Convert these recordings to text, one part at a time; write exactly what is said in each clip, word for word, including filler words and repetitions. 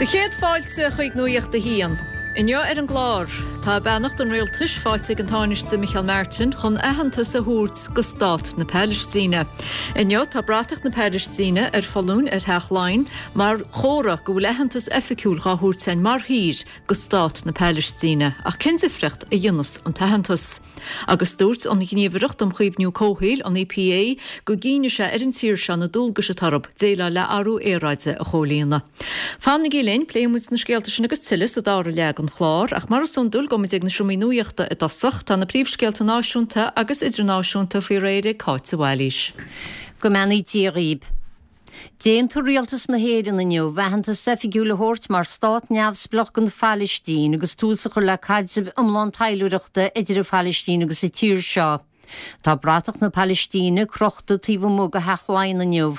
Do chéad fáilte chuig Nuacht a hAon. Inniu ar an gclár, tá beannacht an rialtais faighte ag an Tánaiste Micheál Martin chun aitheantas a thabhairt go stát na Palaistíne. Inniu tá bratach na Palaistíne ar foluain ar Theach Laighean mar chomhartha go bhfuil aitheantas oifigiúil á thabhairt againn mar thír go stát na Palaistíne, ach cén difríocht a dhéanann an t-aitheantas. Agus dúirt an Ghníomhaireacht um Chaomhnú Comhshaoil an EPA go gcinnfidh sé ar an tír seo na dualgais atá orthu déileáil le athrú aeráide a chomhlíonadh. Fanaigí linn pléifimid na scéalta sin agus tuilleadh sa dara leath den chlár, ach mar is iondúil gabhfaimid ag na seomraí nuachta i dtosach tá na príomhscéalta náisiúnta agus idirnáisiúnta faoi réir ag Cáit de Bhailís. Go mbeannaí Dia dhaoibh. D'aontaigh rialtas na hÉireann inniu aitheantas oifigiúil a thabhairt mar stát neamhspleách don Phalaistín agus tús a chur le caidreamh iomlán taidhleoireachta idir an Phalaistín agus an tír seo. Tá bratach na Palaistíne crochta taobh amuigh de Theach Laighean inniu.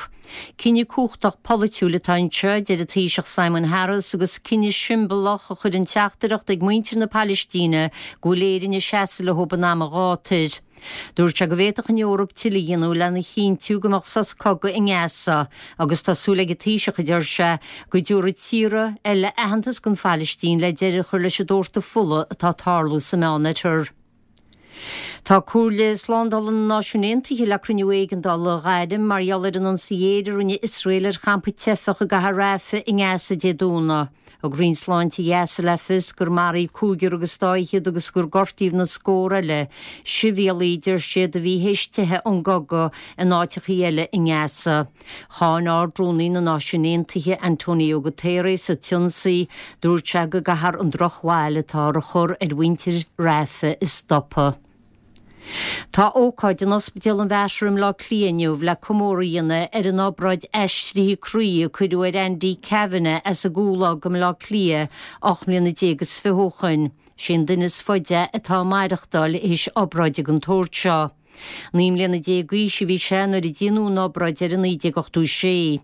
Cinneadh cumhachtach polaitiúil atá anseo deir an Taoiseach Simon Harris agus cinneadh siombalach a chuireann teachtaireacht ag muintir na Palaistíne go bhfuil Éire ag seasamh leo in am an ghátair. Dúirt sé go bhféadfadh an Eoraip tuilleadh a dhéanamh lena chinntiú go mbeadh sos cogaidh i nGaza, agus tá súil ag an Taoiseach a deir sé go dtabharfaidh tíortha eile aitheantas don Phalaistín le deireadh a chur leis an doirteadh fola atá ag tarlú sa Meánoirthear. Tá Comhairle Slándála na Náisiún Aontaithe le cruinniú éigeandála a ghairm mar gheall ar an ionsaí aeir a rinne Iosrael ar champa teifeach i gcathair Rafah i nGaza Dé Domhnaigh. Thug Roinn Sláinte Ghaza le fios gur maraíodh cúigear agus dá fhichead agus gur gortaíodh na scórtha eile, sibhialaigh deir siad a bhí théis teitheadh ón gcogadh in áiteachaí eile i nGaza. Cháin Ard-Rúnaí na Náisiún Aontaithe Antonio Guterres an t-ionsaí, dúirt sé go gcaithfear an drochbhail atá á chur ar mhuintir Rafah a stopadh. Tá ócáid in Ospidéal an Mhater i mBleá Cliath inniu le comóradh a dhéanamh ar an obráid aistrithe croí a cuireadh ar Andy Kavanagh as an gCúlóg i mBleá Cliath ocht mbliana déag is fiche ó shin. Sé an duine is faide atá ag maireachtáil théis obráid den tsórt seo. Naoi mbliana déag d'aois a bhí sé nuair a déanadh an obráid air i naoi déag ochtó sé.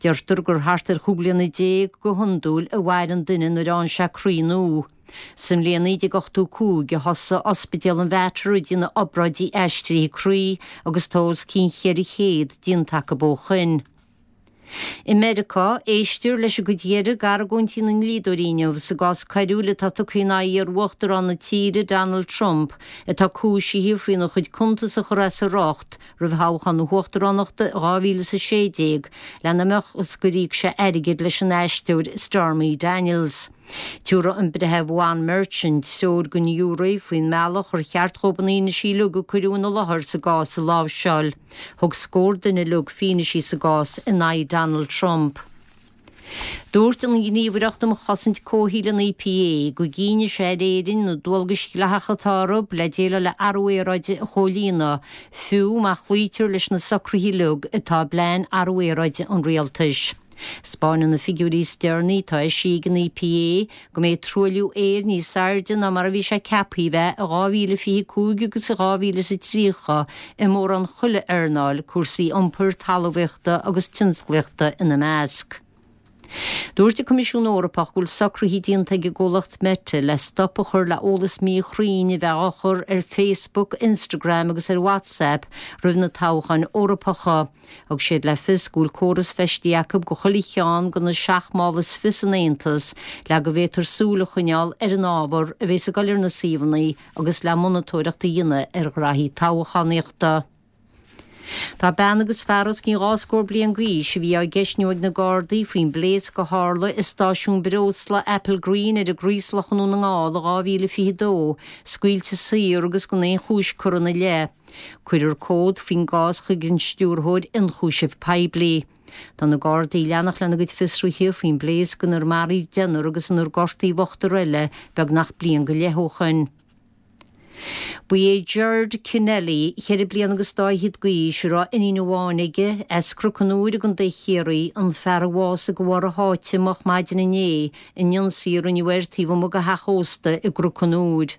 Deirtear gur thart ar chúig bliana déag go hiondúil a mhaireann duine nuair a fhaigheann sé croí nua. Sa mbliain naoi déag ochtó cúig a thosaigh Ospidéal an Mhater ag déanamh obráidí aistrithe croí agus tá os cionn cheithre chéad déanta acu ó shin. I Meiriceá, éistear leis an gcuid dheiridh d'argóintí na ndlíodóirí inniu sa gcás coiriúil atá tugtha in aghaidh iar-uachtarán na tíre Donald Trump atá cúisithe faoina chuid cuntas a chur as a riocht roimh thoghchán na huachtaránachta dhá mhíle is a sé déag lena mbeadh is gur íoc sé airgead leis an aisteoir Stormy Daniels. Tabharfaidh an breitheamh Juan Merchan treoir don ghiúiré faoin mbealach ar cheart dóibh na fianaisí uilig a cuireadh ina láthair sa gcás a láimhseáil. Thug scór duine uilig fianaisí sa gcás in aghaidh Donald Trump. Dúirt an Ghníomhaireacht um Chosaint Comhshaoil an EPA go gcinnfidh sé ar Éirinn na dualgais dhlíthiúla atá orthu le déileáil le athrú aeráide a chomhlíonadh, fiú má chloítear leis na socruithe uilig atá i bplean athrú aeráide an rialtais. Spáineann na figiúirí is deireanaí atá eisithe ag an EPA go mbeidh truailliú aeir níos airde ná mar a bhí sé ceaptha a bheith i dhá mhíle fiche cúig agus i dhá mhíle is a tríocha i mórán chuile earnáil, cúrsaí iompair, talmhaíochta agus tionsclaíochta ina measc. Dúirt an Coimisiún Eorpach go bhfuil socruithe déanta ag an gcomhlacht Meta le stop a chur le eolas míchruinn a bheith á chur ar Facebook, Instagram agus ar WhatsApp roimh na toghcháin Eorpacha. Thug siad le fios go bhfuil córas feistithe acu go chuile cheann de na seacht mála is fiche san Aontas le go bhféadfar súil a choinneáil ar an ábhar a bheas ag dul ar na suíomhanna agus le monatóireacht a dhéanamh ar ghraithí toghchánaíochta. Tá bean agus fear os cionn dhá scór bliain d'aois a bhí á gceistniú ag na Gardaí faoin bpléasc a tharla i stáisiún breosla Applegreen ar an gCraoslach i nDún na nGall i dhá mhíle fiche dó, scaoilte saor agus gan aon chúis curtha ina leith. Cuirfear comhad faoin gcás chuig an stiúrthóir ionchúisimh poiblí. Tá na Gardaí ag leanacht lena gcuid fiosruithe faoin bpléasc inar maraíodh deichniúr agus inar gortaíodh ochtar eile beagnach bliain go leith ó shin. Ba é Gerard Kennelly, ceithre bliana agus dá fhichead d'aois, a raibh iníon amháin aige, as Cnoc an Iúir i gContae Chiarraí, an fear a bhásaigh de bharr a sháite moch maidin inné in ionsaí a rinneadh air taobh amuigh de theach ósta i gCnoc an Iúir.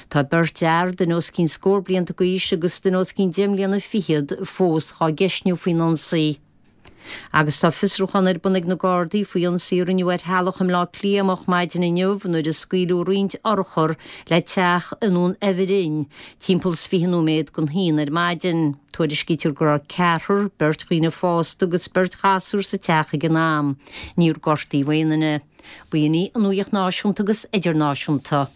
Tá beirt fhear, duine os cionn scór blianta d'aois agus duine os cionn deich mbliana fichead, fós dhá gceistniú faoin ionsaí. Agus tá fiosrúchán ar bun ag na Gardaí faoi ionsaí a rinneadh ar theaghlach i mBleá Cliath moch maidin inniu nuair a scaoileadh roinnt urchar le teach i nDún Eibhirinn, timpeall is fiche nóiméad don haon ar maidin. Tuairiscítear go raibh ceathrar, beirt dhaoine fásta agus beirt ghasúr sa teach ag an am. Níor gortaíodh aon duine. B'in í an nuacht náisiúnta agus idirnáisiúnta.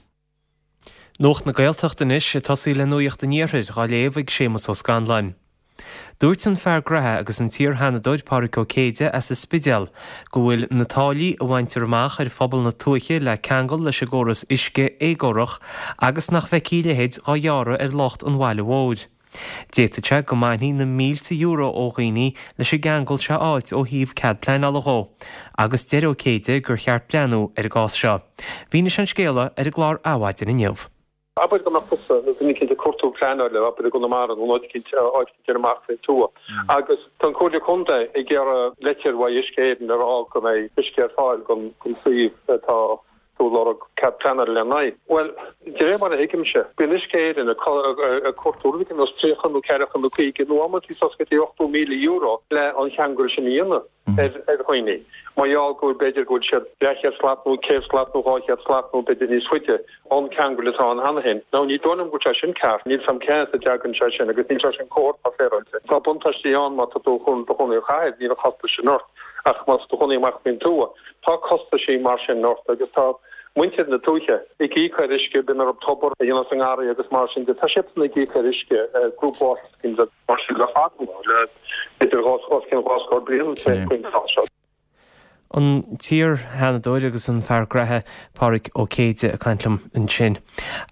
Nuacht na Gaeltachta anois ag tosaí le nuacht an Iarthair á léamh ag Séamus Ó Scanláin. Dúirt an fear graithe agus an t-iar-Sheanadóir Pádraig Ó Céide as an Spidéal go bhfuil na táillí a bhaintear amach ar phobal na tuaithe le ceangal leis an gcóras uisce éagórach agus nach bhfeicfí a leithéid dhá ghearradh ar lucht an bhaile mhóir. D'fhéadfadh sé go mbainfí na mílte euro ó dhaoine leis an gceangal seo a fháilt ó thaobh cead pleanála dhó, agus deir Ó Céide gur cheart breathnú ar an gcás seo. Mhínigh sé an scéal ar an gclár Adhmhaidin inniu. Abair go mbeadh tusa nó duine eicínt ag cuartú pleanála, abair i gConamara nó áit eicínt, áit eicínt ar amach faoin tuath. Agus tá an Comhairle Contae ag iarraidh leitir uaidh Uisce Éireann ag rá go mbeidh uisce ar fáil don don suíomh atá tú ag lorg cead pleanála lena aghaidh. Bhuel, de réir mar a thuigimse, bíonn Uisce Éireann ag ag cuartú rud éigin ar nós tríocha nó ceathracha nó caoga nó amantaí suas go dtí ochtó míle euro le an cheangal sin a dhéanamh. ar dhaoine, mar gheall go bhfuil, b'fhéidir go bhfuil siad leathchéad slat nó céad slat nó dhá chéad slat nó b'fhéidir níos faide ón cheangal atá ann cheana féin. Now ní dóigh liom go bhfuil sé sin ceart, níl 's a'm cén as a dtagann sé sin agus níl sé sin cóir atá féaráilte. Tá buntáistí ann má tá tú i do chónaí sa chathair, níl an costas sin ort, ach má tá tú i do chónaí amach faoin tuath, tá costaisí mar sin ort agus tá muintir na tuaithe ag íoc ar uisce, bíonn orthu tobar a dhéanamh sa ngarraí agus mar sin de, tá siadsan ag íoc ar uisce, group water schemes agus mar sin le fada le b'fhéidir os cionn dhá scór bliain faoin tráth seo. An t-iar-Sheanadóir agus an fear graithe Pádraig Ó Céide ag caint liom ansin.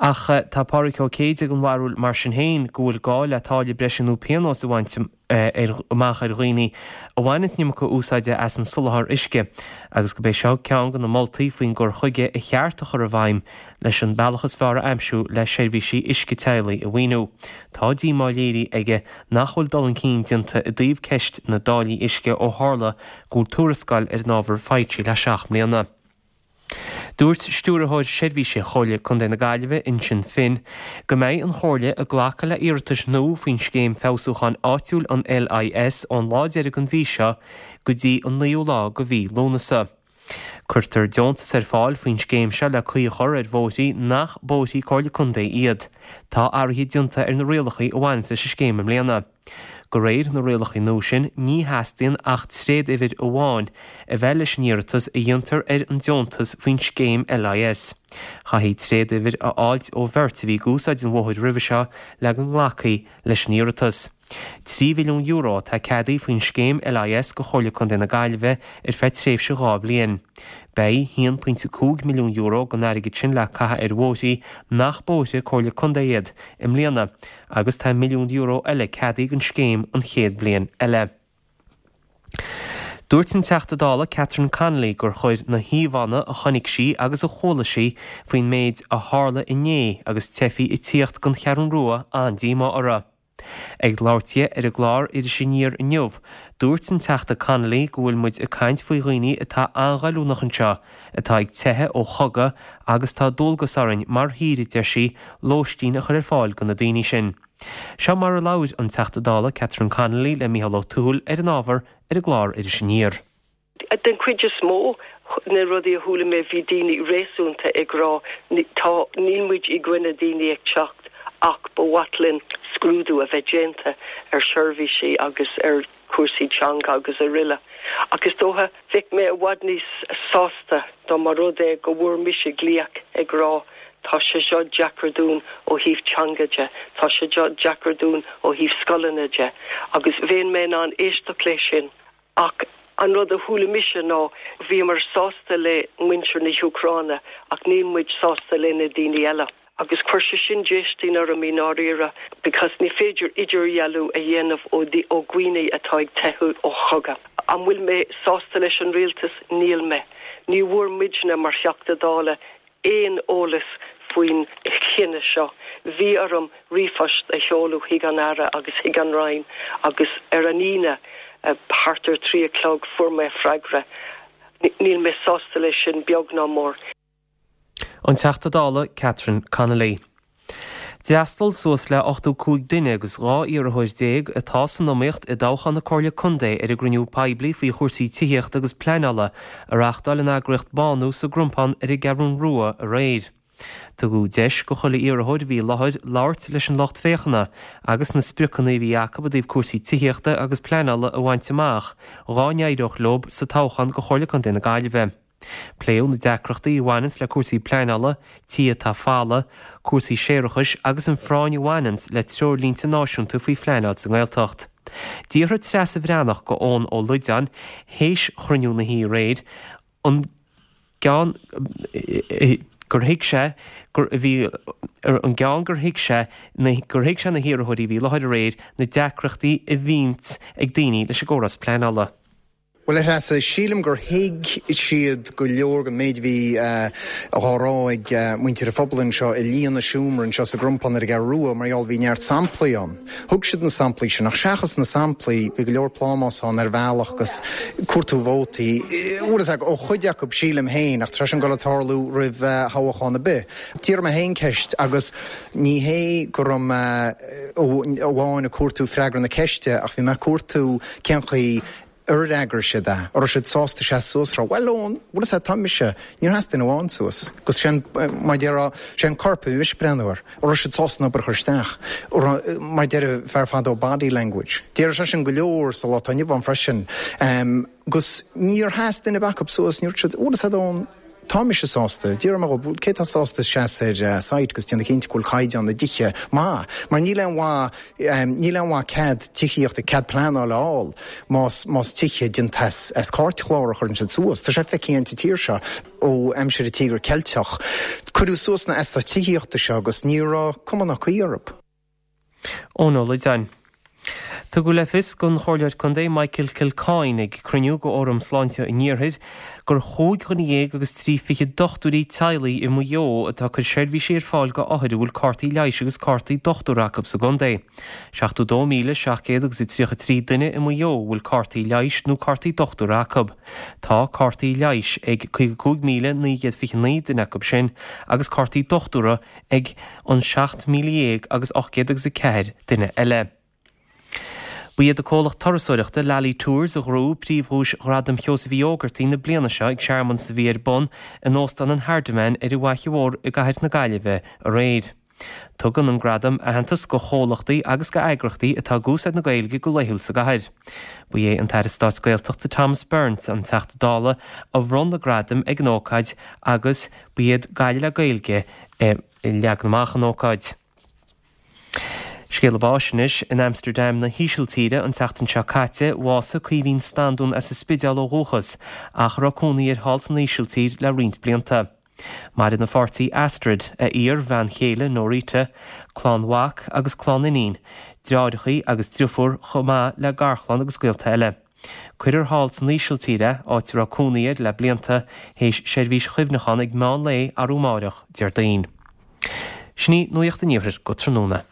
Ach tá Pádraig Ó Céide den bharúil mar sin féin go bhfuil gá le táille breise nó pionós a bhaint amach ar dhaoine a bhaineann an iomarca úsáide as an soláthar uisce agus gurb é seo ceann de na moltaí faoin gcur chuige a cheart a chur i bhfeidhm leis an bealach is fearr a aimsiú le seirbhísí uisce teaghlaigh a mhaoiniú. Tá díomá léirithe aige nach bhfuil dul chun cinn déanta i dtaobh ceist na dtáillí uisce ó tharla go bhfuil tuarascáil ar an ábhar faighte le seacht mbliana. Dúirt Stiúrthóir Seirbhíse Chomhairle Contae na Gaillimhe, Uinseann Finn, go mbeidh an Chomhairle ag glacadh le iarratais nua faoin Scéim Feabhsúcháin Áitiúil an LIS ón lá deiridh den mhí seo go dtí an naoú lá de mhí Lúnasa. Cuirtear deontas ar fáil faoin scéim seo le caoi a chur ar bhóithrí nach bóithrí Comhairle Contae iad. Tá athruithe déanta ar na rialacha a bhaineann leis an scéim i mbliana. De réir na rialacha nua sin, ní theastaíonn ach tréaduimhir amháin a bheith leis an iarratas a dhéantar ar an deontas faoin scéim LIS. Chaithfí tréaduimhir a fháilt ó bheirt a bhí ag úsáid an bhóthair roimhe seo le go nglacfaí leis an iarratas. Trí mhilliún euro atá ceadaithe faoin scéim LIS do Chomhairle Contae na Gaillimhe ar feadh tréimhse dhá bhliain. Beidh haon pointe cúig milliún euro den airgead sin le caitheamh ar bhóithrí nach bóithre Comhairle Contae iad i mbliana agus tá milliún euro eile ceadaithe don scéim an chéad bhliain eile. Dúirt an Teachta Dála Catherine Connolly gur chuir na híomhánna a chonaic sí agus a chuala sí faoin méid a tharla inné agus teifigh ag tíocht don Cheathrú Rua an-díomá uirthi. Ag labhairt di ar an gclár Iris Aniar inniu, dúirt an Teachta Connolly go bhfuil muid ag caint faoi dhaoine atá an-ghoilliúnach anseo, atá ag teitheadh ó chogadh agus tá dualgas orainn mar thír, a deir sí, lóistín a chur ar fáil do na daoine sin. Seo mar a labhair an Teachta Dála Catherine Connolly le Mícheál Ó Tuathail ar an ábhar ar an gclár Iris Aniar. Den chuid is mó na rudaí a chuala mé bhí daoine réasúnta ag rá tá níl muid i gcoinne daoine ag teacht ach ba mhaith linn scrúdú a bheith déanta ar sheirbhísí agus ar chúrsaí teanga agus araile. Ach is dócha bheadh mé i bhfad níos sásta dá mba rud é go bhfuair mise glaoch ag rá tá sé seo deacair dúinn ó thaobh teanga de, tá sé seo deacair dúinn ó thaobh scoileanna de agus bheinn mé in ann éisteacht leis sin. Ach an rud a chuala mise ná bhíomar sásta le muintir na hÚcráine ach níl muid sásta le na daoine eile. Agus chuir sé sin déistin orm i ndáiríre because ní féidir idirdhealú a dhéanamh ó ó dhaoine atá ag teitheadh ó chogadh. An bhfuil mé sásta leis an rialtas? Níl mé. Ní bhfuair muidne mar Theachta Dála aon eolas faoin chinneadh seo. Bhí orm ríomhphost a sheoladh chuig an Aire agus chuig an Roinn agus ar an Aoine thart ar trí a chlog fuair mé freagra. Níl mé sásta leis sin beag ná mór. An Teachta Dála Catherine Connolly. D'fhreastail suas le ochtó cúig duine agus dhá iarrthóir déag atá san iomaíocht i dtoghchán na Comhairle Contae ar an gcruinniú poiblí faoi chúrsaí tithíochta agus pleanála a reáchtáil an eagraíocht Bánú sa gCrompán ar an gCeathrú Rua aréir. Tugadh deis go chuile iarrthóir a bhí i láthair labhairt leis an lucht féachana agus na spriocanna a bhí acu i dtaobh cúrsaí tithíochta agus pleanála a bhaint amach dhá n-éireodh leo sa toghchán go Chomhairle Contae na Gaillimhe. Pléadh na deacrachtaí a bhaineanns le cúrsaí pleanála, tithe atá folamh, cúrsaí séarachais agus an phráinn a bhaineanns le treoirlínte náisiúnta faoi phleanáil sa nGaeltacht. D'fhiafraigh Treasa Bhreathnach go Eoin Ó Loideáin théis chruinniú na hoíche aréir an gceann gur thuig sé gur a bhí an gceann gur thuig sé gur thuig sé na hiarrthóirí a bhí i láthair aréir na deacrachtaí a bhíonns ag daoine leis an gcóras pleanála. Bhuel, a Threasa, sílim gur thuig siad go leor den méid a bhí á rá ag muintir an phobail anseo i líon an seomra anseo sa gCrompán ar an gCeathrú Rua mar gheall bhí neart samplaí ann. Thug siad na samplaí sin ach seachas na samplaí bhí go leor plámás ann ar bhealach agus cuartú vótaí, bhfuil a fhios agat, ó chuid acu sílim féin ach tá sin ag dul ag tarlú roimh thoghchán ar bith. D'iarr mé féin ceist agus ní hé go raibh mé amháin ag cuartú freagra na ceiste ach bhí mé ag cuartú cén chaoi ar fhreagair siad é? An raibh siad sásta seasamh suas a rá, Bhuel, Eoin, bhfuil a fhios agat, tá mise, níor sheas duine amháin suas. Agus sin, mar a déarfá, sé an corp a bhí mise ag breathnú air. An raibh siad sásta an obair a chur isteach? An raibh, mar a deireadh fear fadó, body language. Déarfadh sé sin go leor sa lá atá inniu ann freisin. Agus níor sheas duine ar bith acu suas, ní dúirt siad, bhfuil a fhios agat, Eoin, Tá mise sásta. D'iarr mé dhóibh, cé tá sásta seasamh ar site agus déanamh cinnte go bhfuil caighdeán na dtithe maith, mar níl aon mhaith, níl aon mhaith cead tithíochta, cead pleanála a fháil más, más tithe déanta as, as cairtchlár a chuireann siad suas. Tá sé feicthe againn sa tír seo ó aimsir an Tíogar Ceilteach. Cuireadh suas na eastáit tithíochta seo agus ní raibh cuma ná caoi orthu. Eoin Ó Loideáin. Tugadh le fios don Chomhairleoir Contae Michael Kilcoyne ag cruinniú de Fhóram Sláinte an Iarthair gur chúig dhuine dhéag agus trí fichid dochtúirí teaghlaigh i Maigh Eo atá ag cur seirbhísí ar fáil go othair a bhfuil cártaí leighis agus cártaí dochtúra acu sa gcontae. seachtó dó míle seacht gcéad agus a tríocha trí duine i Maigh Eo a bhfuil cártaí leighis nó cártaí dochtúra acu. Tá cártaí leighis ag caoga cúig míle naoi gcéad fiche naoi duine acu sin agus cártaí dochtúra ag an seacht míle dhéag agus ocht gcéad agus a ceathair duine eile. Ba iad an comhlacht turasóireachta Lally Tours a ghnóthaigh príomhdhuais Ghradaim Sheosaimh Uí Ógartaigh na bliana seo ag searmanas a bhí ar bun in Óstán an Hardiman ar an bhFaiche Mhór i gcathair na Gaillimhe aréir. Tugann an gradam aitheantas go chomhlachtaí agus go eagraíochtaí atá ag úsáid na Gaeilge go laethúil sa gcathair. Ba é an tAire Stáit Gaeltachta Thomas Byrne an Teachta Dála a bhronn na gradaim ag an ócáid agus ba iad Gaillimh le Gaeilge a leag amach an ócáid. Scéala báis anois, in Amsterdam na hÍsiltíre an tseachtain seo caite, bhásaigh Caoimhín Standún as an Spidéal ó dhúchas, ach a raibh cónaí air thall san Ísiltír le roinnt blianta. Maireann a pháirtí Astrid, a iar-bhean chéile Norita, clann mhac agus clann iníon, deartháireacha agus driofúr chomh maith le garchlann agus gaolta eile. Cuirfear thall san Ísiltír é, áit a raibh cónaí air le blianta, théis seirbhís chuimhneacháin ag meán lae arú amáireach, Déardaoin. Sin í Nuacht an Iarthair go tráthnóna.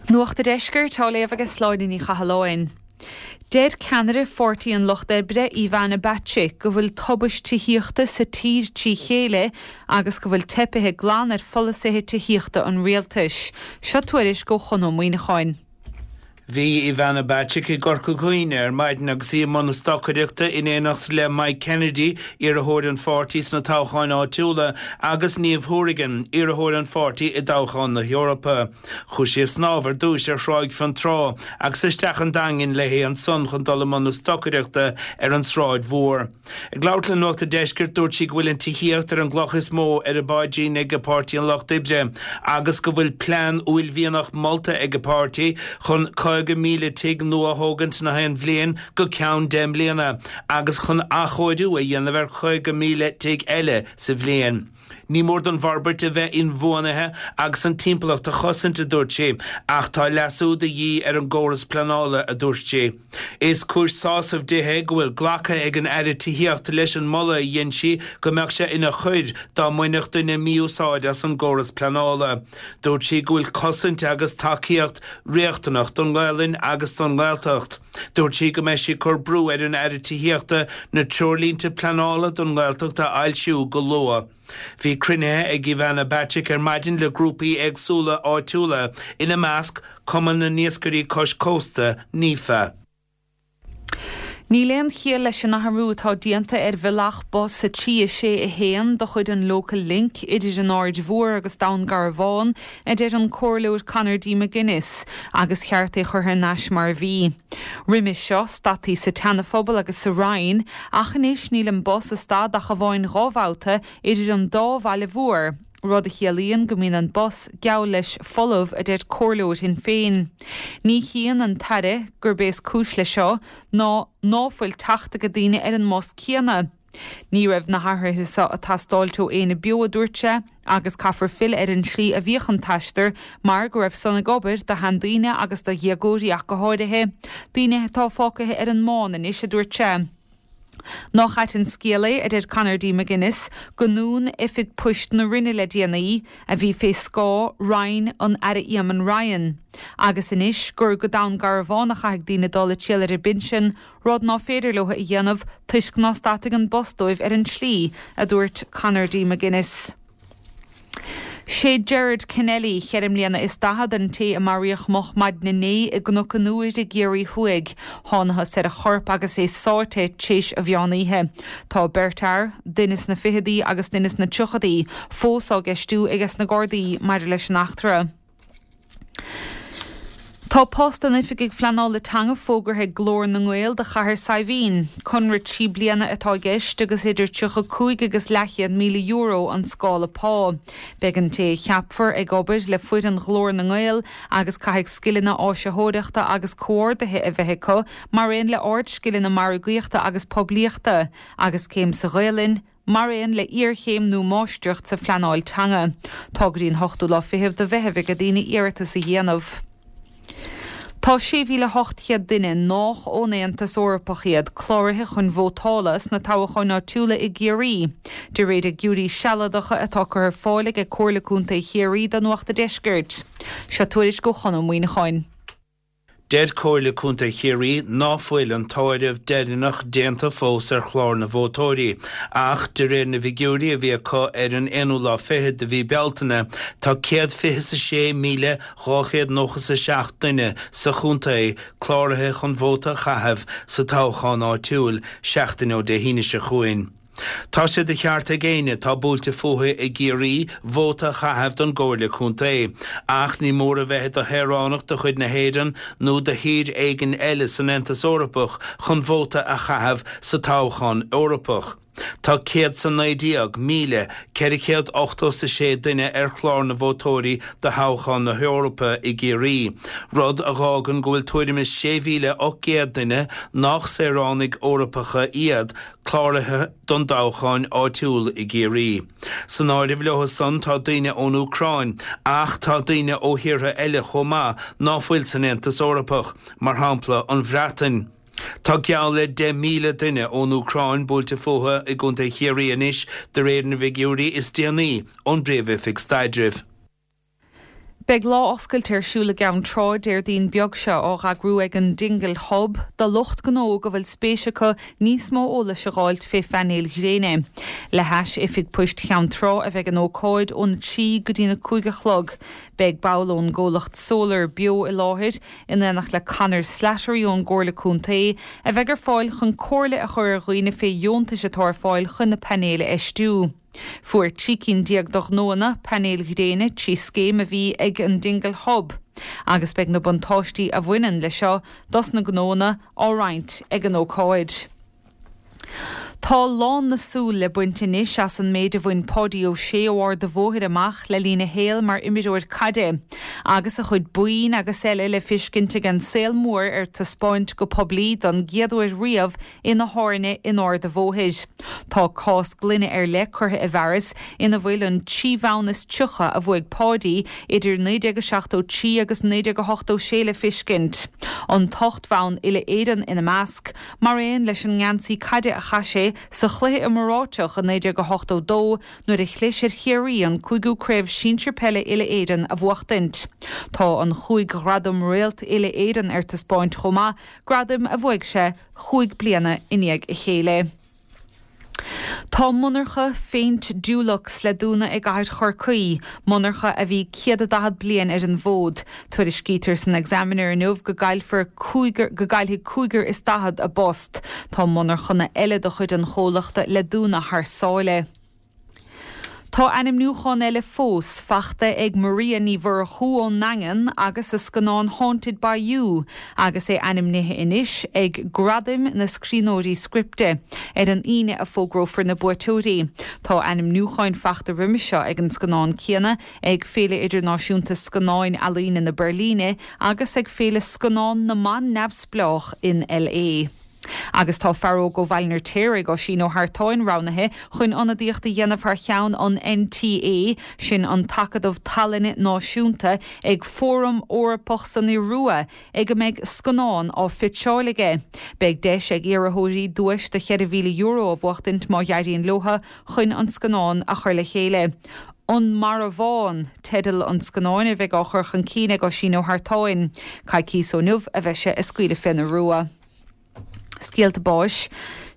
Nuacht an Deiscirt á léamh ag Sláine Ní Chathalláin. Deir ceannaire Pháirtí an Lucht Oibre Ivana Bacik go bhfuil tubaist tithíochta sa tír trí chéile agus go bhfuil teipithe glan ar pholasaithe tithíochta an rialtais. Seo tuairisc ó Chon Ó Muíneacháin. Bhí Ivana Bacik i gCorca Dhuibhne ar maidin agus í i mbun stocaireachta in éineacht le Mike Kennedy, iarrthóir an pháirtí sna toghcháin áitiúla, agus Niamh Hourigan, iarrthóir an pháirtí i dtoghchán na hEorpa. Chuaigh sí ag snámh ar dtús ar Thráigh Fionntrá agus isteach an Daingean léi ansan chun dul i mbun na stocaireachta ar an Sráid Mhór. Ag labhairt le Nuacht an Deiscirt, dúirt sí go bhfuil an tithíocht ar an gcloch is mó ar a paidrín ag Páirtí an Lucht Oibre agus go bhfuil plean uaillmhianach molta ag a páirtí chun caoga míle tigh nua a thógaint na haon bhliain go ceann deich mbliana agus chun athchóiriú a dhéanamh ar chaoga míle tigh eile sa bhliain. Ní mór don bhforbairt a bheith inbhuanaithe agus an timpeallacht a chosaint, a dúirt sí, ach tá leasú de dhíth ar an gcóras pleanála, a dúirt sí. Is cúis sásaimh di é go bhfuil glactha ag an Aire Tithíochta leis an moladh a dhein sí go mbeadh sé ina choir dá mbainfeadh duine mí-úsáid as an gcóras pleanála. Dúirt sí go bhfuil cosaint agus tacaíocht riachtanach don Ghaelainn agus don Ghaeltacht. Dúirt sí go mbeidh sí ag cur brú ar an Aire Tithíochta na treoirlínte pleanála don nGaeltacht a fhoilsiú go luath. Bhí cruinnithe ag Ivana Bacik ar maidin le grúpaí éagsúla áitiúla, ina measc Cumann na nIascairí Cois Cósta, NIFA. Níl aon chiall leis an athrú atá déanta ar bhealach bus a trí a sé a haon de chuid an Local Link idir an Aird Mhór agus Dún Garbhán, a deir an Comhairleoir Conor D McGuinness, agus cheart é chur thar n-ais mar a bhí. Roimhe seo, stadtaí sa tSeanaphobal agus sa Rinn, ach anois níl an bus ag stad ach amháin dhá bhabhta idir an dá bhaile mhór, rud a chiallaíonn go mbíonn an bus geall leis folamh, a deir Comhairleoir Shinn Féin. Ní shuíonn an tAire gurb é is cúis leis seo ná ná fuil teacht ag daoine ar an mbus céanna. Ní raibh na hathruithe seo ag teastáil ó éinne beo a dúirt sé, agus caithfear filleadh ar an tslí a bhíodh an t-aistear mar go raibh san ag obair do sheandaoine agus do dhéagóirí ach go háirithe, daoine atá fágtha ar an mbán anois, a dúirt sé. Nach ait an scéal é, a deir Conor D McGuinness, go ndún Oifig Poist na Rinne le déanaí, a bhí fé scáth Roinn an Aire Eamon Ryan, agus anois gur go Dún Garbhán a chaithfidh daoine dul ag triall ar a bpinsean, rud ná féidir leo a dhéanamh toisc ná stadfaidh an bus dóibh ar an tslí, a dúirt Conor D McGuinness. Sé Gerard Kennelly, cheithre mbliana is daichead, an té a maraíodh moch maidin inné i gCnoc an Iúir i gCiarraí Thuaidh. Thánathas ar a chorp agus é sáite tar éis an mheán oíche. Tá beirt fhear, duine sna fichidí agus duine sna tríochaidí, fós á gceistiú aige sna Gardaí maidir leis an eachtra. Tá post an Oifigigh Phleanála Teanga fógartha ag Glór na nGael do Chathair Saidhbhín. Conradh trí bliana atá i gceist agus idir tríocha cúig agus leathchéad míle euro an scála pá. Beidh an té a cheapfar ag obair le foireann Ghlór na nGael agus caithfidh scileanna áisitheoireachta agus comhordaithe a bheith acu mar aon le hardscileanna margaíochta agus poiblíochta, agus céim sa Ghaelainn, mar aon le iarchéim nó máistreacht sa phleanáil teanga. Tá go dtí an hochtú lá fichead de Mheitheamh ag daoine iarratas a dhéanamh. Tá sé mhíle hocht chéad duine nách ón Aontas Eorpach iad cláraithe chun vótála sna toghcháin áitiúla i gCiarraí. De réir figiúirí sealadacha atá curtha ar fáil ag Comhairle Contae Chiarraí do Nuacht an Deiscirt. Seo tuairisc ó Chonán Ó Muíneacháin. Deir Comhairle Contae Chiarraí ná fuil an t-áireamh deireanach déanta fós ar chlár na vótóirí, ach de réir na bhfigiúirí a bhí acu ar an aonú lá fichead de mhí Bealtaine, tá céad fiche is a sé míle dhá chéad nócha is a seacht duine sa chontae cláraithe chun vóta a chaitheamh sa toghchán áitiúil seachtain ó Dé hAoine seo chugainn. Tá sé de cheart ag éinne atá buailte fúthu i gCiarraí vóta a chaitheamh don gComhairle Contae, ach ní mór a bheith i do shaoránach de chuid na hÉireann nó de thír éigin eile san Aontas Eorpach chun vóta a chaitheamh sa toghchán Eorpach. Tá céad is a naoi déag míle ceithre chéad ochtó is a sé duine ar chlár na vótóirí do thoghchán na hEorpa i gCiarraí, rud a dh'fhágann go bhfuil tuairim is sé mhíle ocht gcéad duine nach saoránaigh Eorpacha iad cláraithe don toghchán áitiúil i gCiarraí. San áireamh leo san tá daoine ón Úcráin, ach tá daoine ó thíortha eile chomh maith ná fuil san Aontas Eorpach, mar shampla an Bhreatain. Tá geall le deich míle duine ón Úcráin buailte fúthu i gContae Chiarraí anois de réir na bhfigiúirí is déanaí ón bPríomh-Oifig Staidrimh. Beidh lá oscailte ar siúl i gCeann Trá Déardaoin beag seo á eagrú ag an Dingle Hub do lucht gnó go bhfuil spéis acu níos mó eolais a fháilt fé phainéil ghréine. Le hais oifig poist Cheann Trá a bheidh an ócáid ón trí go dtí na cúig a chlog. Beidh ball ón gcomhlacht Solar beo i láthair in éineacht le Conor Slattery ón gComhairle Contae a bheidh ar fáil chun comhairle a chur ar dhaoine fé dheontais atá ar fáil chun na painéil a fheistiú. Fuair trí cinn déag de ghnóanna painéil ghréine trí scéim a bhí ag an Dingle Hub, agus beidh na buntáistí a bhaineann le seo dos na gnóanna á roinnt ag an ócáid. Tá lán na súl le baint anois as an méid a bhain Páidí Ó Sé ó Ard an Bhóthair amach le linn a shaoil mar imreoir caide, agus a chuid boinn agus eile le feiscint ag an saol mór ar taispeáint go poiblí don gcéad uair riamh ina thábhairne in Ard an Bhóthair. Tá cás gloine ar leith curtha i bhfearas ina bhfuil an trí bhonn is tríocha a bhuaigh Páidí idir naoi déag a seachtó trí agus naoi déag a hochtó sé le feiscint. An t-ocht mbonn uile-Éireann ina measc, mar aon leis an ngeansaí caide a chaith sé sé sa chluiche iomráiteach i naoi déag a hochtó dó nuair a chlis ar Chiarraí an cúigiú Craobh Sinsir Peile Uile-Éireann a bhuachtaint. Tá an chúig ghradam Réalt Uile-Éireann ar taispeáint chomh maith, gradaim a bhuaigh sé chúig bliana i ndiaidh a chéile. Tá monarcha phéint Dulux le dúnadh i gcathair Chorcaí, monarcha a bhí céad a daichead bliain ar an bhfód. Tuairiscítear san Examiner inniu go gcaillfear cúigear go gcaillfidh cúigear is daichead a bpost. Tá monarchana eile de chuid an chomhlachta le dúnadh thar sáile. Tá ainmniúchán eile fós faighte ag Maria Ní Mhurchú ón nDaingean agus a scannán Haunted by You agus é ainmnithe anois ag Gradaim na Scríbhneoirí Scripte. Ar an Aoine a fógrófar na buaiteoirí. Tá ainmniúcháin faighte roimhe seo ag an scannán céanna ag Féile Idirnáisiúnta Scannáin Ealaíne na Beirlíne agus ag Féile Scannán na mBan Neamhspleách in LA. Agus tá fear óg ó Bhaile an Fheirtéaraigh, Oisín Ó hEartáin, roghnaithe chun ionadaíocht a dhéanamh thar cheann an NTA, sin an tAcadamh Tallainne Náisiúnta, ag Fóram Eorpach san Iorua ag a mbeidh scannán á phitseáil aige. Beidh deis ag iarrthóirí duais de cheithre mhíle euro a bhuachtaint má éiríonn leo chun an scannán a chur le chéile. An Marbhán teideal an scannáin a bheidh á chur chun cinn ag Oisín Ó hEartáin. Coicís ó inniu a bheidh sé ag scaoileadh fén Iorua. Scéalta báis.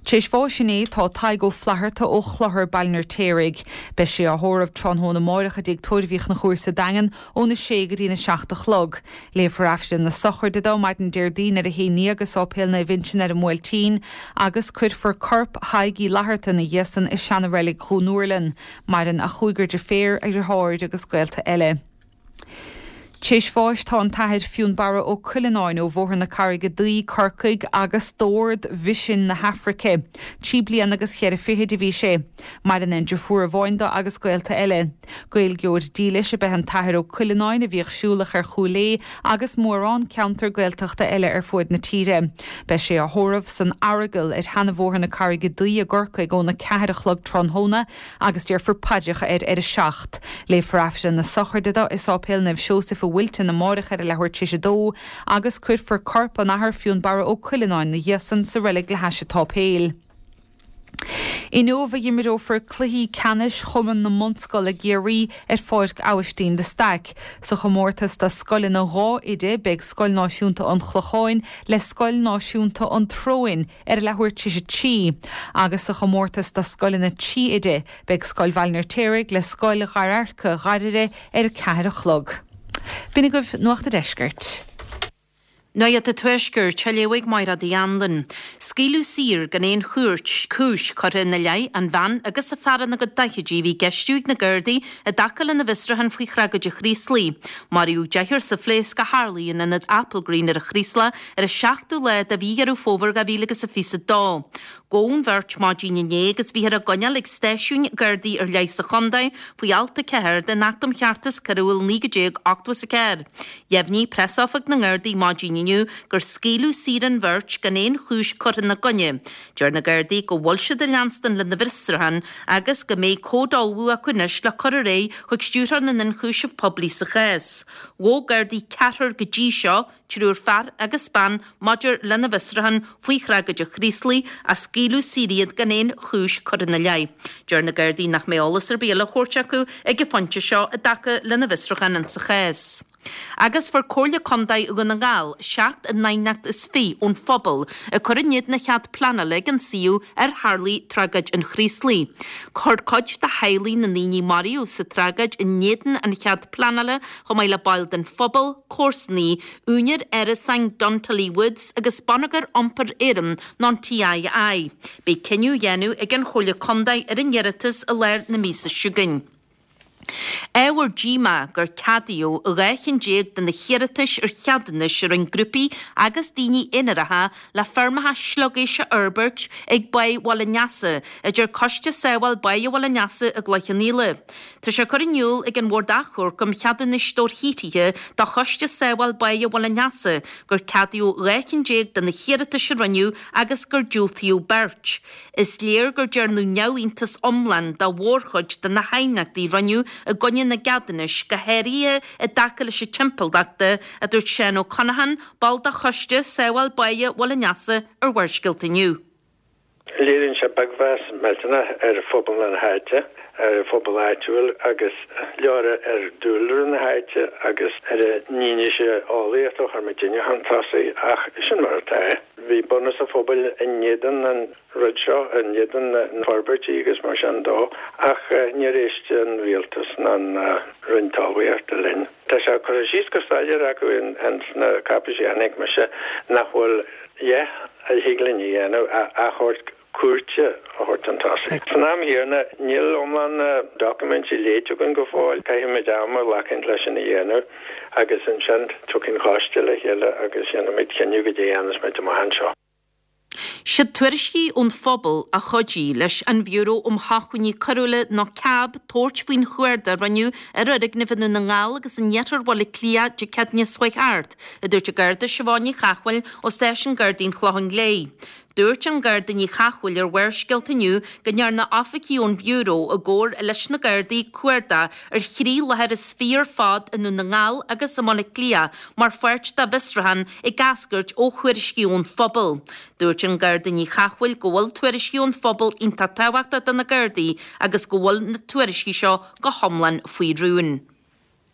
Tar éis bháis inné tá Tadhg Ó Flatharta ó Chlochar, Baile an Fheirtéaraigh. Beidh sé á thórramh tráthnóna amáireach i dTigh Tórraimh Uí Chonchúir sa Daingean óna sé go dtí'n a seacht a chlog. Léifear Aifreann na sochraide dó maidin Déardaoin ar a haon déag i Sáipéal Naomh Uinseann ar an mBuailtín agus cuirfear corp Thaidhg Uí Fhlatharta ina dhiaidh san i seana-reilig Dhún Úrlann. Maireann a chúigear deirféar, a dheartháir agus gaolta eile. Tar éis bháis tá an tAthair Fionnbarra Ó Cuileanáin ó Bhóthar na Carraige Duí, Corcaigh agus d'Ord Mhisin na hAfraice. Trí bliana agus cheithre fichid a bhí sé. Maireann aon deirfiúr amháin dó agus gaolta eile. Gaeilgeoir dílis ab ea an tAthair Ó Cuileanáin a bhíodh siúlach ar Chúil Aodha agus mórán ceantar Gaeltachta eile ar fuaid na tíre. Beidh sé á thórramh san Earagail ar Sheanabhóthar na Carraige Duí i gCorcaigh óna ceathair a chlog tráthnóna agus déarfar paidreacha air ar a seacht. Léifear Aifreann na sochraide dó i Sáipéal Naomh Seosaimh i Wilton amárach ar a leathuair tar éis a dó agus cuirfear corp an Athar Fionnbarra Ó Cuileanáin 'na dhiaidh san sa reilig le hais an tsáipéil. Inniu a imreofar cluichí ceannais Chumann na mBunscol i gCiarraí ar Pháirc Abhaistín de Staic. Sa chomórtas do scoileanna dhá oide beidh Scoil Náisiúnta an Chlocháin le Scoil Náisiúnta an tSróin ar a leathuair tar éis a trí agus sa chomórtas do scoileanna trí oide beidh Scoil Bhaile an Fheirtéaraigh le Scoil Ghairearca Ghairire ar a ceathair a chlog. B'in agaibh Nuacht a' Deiscirt. Nuacht an Tuaiscirt, á léamh ag Máire Uí Anluain. Scaoileadh saor gan aon chúirt, cúis curtha ina leith an bhean agus a fear ina gcuid daichidí a bhí á gceistiú ag na Gardaí i dtaca lena bhfiosrúchán faoi thragóid an Chraoslaigh. Maraíodh deichniúr sa phléasc a tharlaigh in ionad Applegreen ar an Chraoslach ar an seachtú lá de mhí Dheireadh Fómhair dhá mhíle agus a fiche a dó. Gabhadh an bheirt maidin inné agus bhíothar á gcoinneáil ag stáisiúin Gardaí ar leith sa chontae faoi alt a ceathair den Acht um Cheartas Coiriúil naoi déag ochtó is a ceathair. Dheimhnigh preasoifig na nGardaí maidin inniu gur scaoileadh saor an bheirt gan aon chúis curtha ina gcoinne. Deir na Gardaí go bhfuil siad ag leanstan lena bhfiosrúchán agus go mbeidh comhad á ullmhú acu anois le cur ar aghaidh chuig Stiúrthóir na nIonchúiseamh Poiblí sa chás. Ghabh Gardaí ceathrar go dtí seo, triúr fear agus bean, maidir lena bhfiosrúchán faoi thragóid an Chraoslaigh, ach scaoileadh saor iad gan aon chúis curtha ina leith. Deir na Gardaí nach mbeidh eolas ar bith eile á thabhairt acu ag an phointe seo i dtaca lena bhfiosrúchán insa chás. Agus fuair Comhairle Contae Dhún na nGall seacht n-aighneacht is fiche ón phobal ag cur in éadan an chead pleanála ag an suíomh ar tharlaigh tragóid an Chraoslaigh. Chuir cuid de theaghlaigh na ndaoine a maraíodh sa tragóid in éadan an chead pleanála chomh maith le baill den phobal, comharsanaí, úinéir árasáin Duntully Woods agus Bonneagar Iompair Éireann nó an TII. Beidh cinneadh á dhéanamh ag an Chomhairle Contae ar an iarratas i lár na míosa seo chugainn. Ábhar díomá gur ceadaíodh dhá cheann déag de na hiarratais ar cheadúnais a rinne grúpaí agus daoine aonaracha le feirmeacha sliogéisc a fhorbairt ag Báigh Bhaile an Easa, a deir Coiste Sábháil Báighe Bhaile an Easa i gCloich Cheann Fhaola. Tá sé curtha in iúl ag an Bhord Achomhairc um Cheadúnais Dobharshaothraithe do Choiste Sábháil Báighe Bhaile an Easa gur ceadaíodh dhá cheann déag de na hiarratais a rinneadh agus gur diúltaíodh beirt. Is léir gur dearnadh neamhiontas iomlán de mhórchuid de na haighneachtaí a rinneadh i gcoinne na gceadúnais, go háirithe i dtaca leis an timpeallacht de, a dúirt Seán Ó Conacháin, ball de Choiste Sábháil Báighe Bhaile an Easa ar Bharrscéalta Inniu. Léiríonn sé beagmheas millteanach ar phobal na háite, ar an phobal áitiúil agus leora ar dúlra na háite agus ar an fhianaise eolaíocht a chuir muidinne chun tosaigh ach sin mar atá. Bhí bunús an phobail in éadan an rud seo, in éadan na forbairtí agus mar sin dó ach níor éist an rialtas ná an Roinn Talmhaíochta linn. Tá sé curtha síos go soiléir acu ins na cáipéisí a chonaic mise nach bhfuil a dhath a thig linn a dhéanamh ach achomharc cúirte a thabhairt chun tosaigh. San am chéanna, níl iomlán na doiciméidí léite againn go fóill. Caithfimid am a ghlacadh leis sin a dhéanamh agus ansin tiocfaidh an coiste le chéile agus déanfaimid cinneadh goidé a dhéanfas muid amach anseo. Siad tuairiscí ón phobal a chuidigh leis an Bhiúró um Shócmhainní Coiriúla nó cab tabhairt faoin chuardach a rinneadh ar fhoirgnimh i nDún na nGall agus in iarthar Bhaile Átha Cliath Dé Céadaoine seo chuaigh thart, a dúirt an Garda Siobhán Ní Chathmhaoil ó Stáisiún Gardaí an Chlocháin Léith. Dúirt an Garda Ní Chathmhaoil ar Bharrscéalta inniu go ndearna oifigigh ón Bhiúró i gcomhar leis na Gardaí cuardach ar thrí láthair is fiche ar fad i nDún na nGall agus i mBaile Átha Cliath mar pháirt dá bhfiosrúchán ag eascairt ó thuairiscí ón phobal. Dúirt an Garda Ní Chathmhaoil go bhfuil tuairiscí ón phobal iontach tábhachtach do na Gardaí agus go bhfuil na tuairiscí seo go hiomlán faoi rún.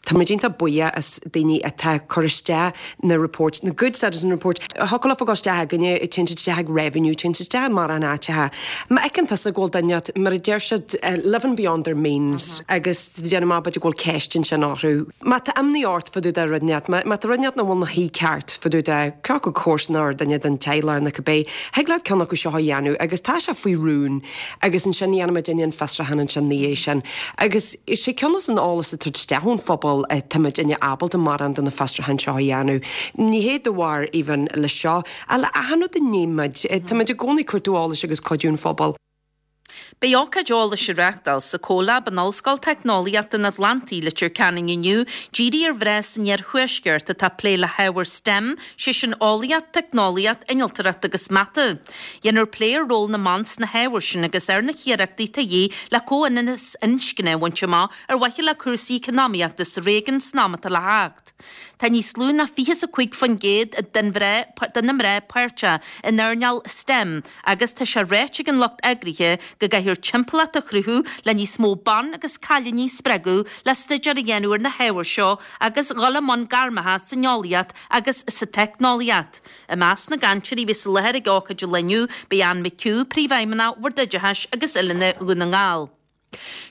Tá muid iontach buíoch as daoine atá ag cur isteach na reports, na good citizen reports. Thiocfadh leofa gabháil isteach againne, téann siad isteach ag revenue, téann siad isteach mar an áiteacha. Má fheiceann tusa go bhfuil duine, mar a deir siad, living beyond their means agus déanamh amach b'fhéidir go bhfuil ceist ansin orthu. Má tá imní ort fá dtaobh de rud inteacht, má tá rud inteacht nach bhfuil ina shuí ceart fá dtaobh de cé acu comharsa nó duine den teaghlach nó cibé, thig leat ceann acu seo a dhéanamh agus tá sé faoi rún agus ansin dhéanfaimid an fiosrúchán ansin ina dhiaidh sin. Agus is é ceann an eolas atá isteach ón phobal táimidne ábalta mórán de na fiosrúcháin seo a dhéanamh. Ní hé de bharr even le seo, ach le achan rud a ndéanaimid, táimid i gcónaí ag cuartú eolais agus cuidiú an phobail. Beidh ócáid eolais á reáchtáil sa CoLab in Ollscoil Teicneolaíochta an Atlantaigh, Leitir Ceanainn inniu, dírithe ar mhná san iarthuaisceart atá ag plé le hábhair STEM, sé sin eolaíocht, teicneolaíocht, innealtóireacht agus mata. Dhéanfar plé ar ról na mban sna hábhair sin agus ar na hiarrachtaí atá de dhíth le comhionannas inscne a bhaint amach ar mhaithe le cúrsaí eacnamaíochta sa réigiún san am atá le theacht. Tá níos lú ná fiche is a cúig faoin gcéad den de na mná páirteach in earnáil STEM agus tá sé ráite ag an lucht eagraithe go gcaithfear timpeallacht a chruthú le níos mó ban agus cailíní a spreagadh le staidéar a dhéanamh ar na hábhair seo agus dhul i mbun gairmeacha san eolaíocht agus sa teicneolaíocht. I measc na gcainteoirí a bheas i láthair ag ócáid an lae inniu beidh Anne McHugh, Príomhfheidhmeannach Bhord Oideachais agus Oiliúna Dhún na nGall.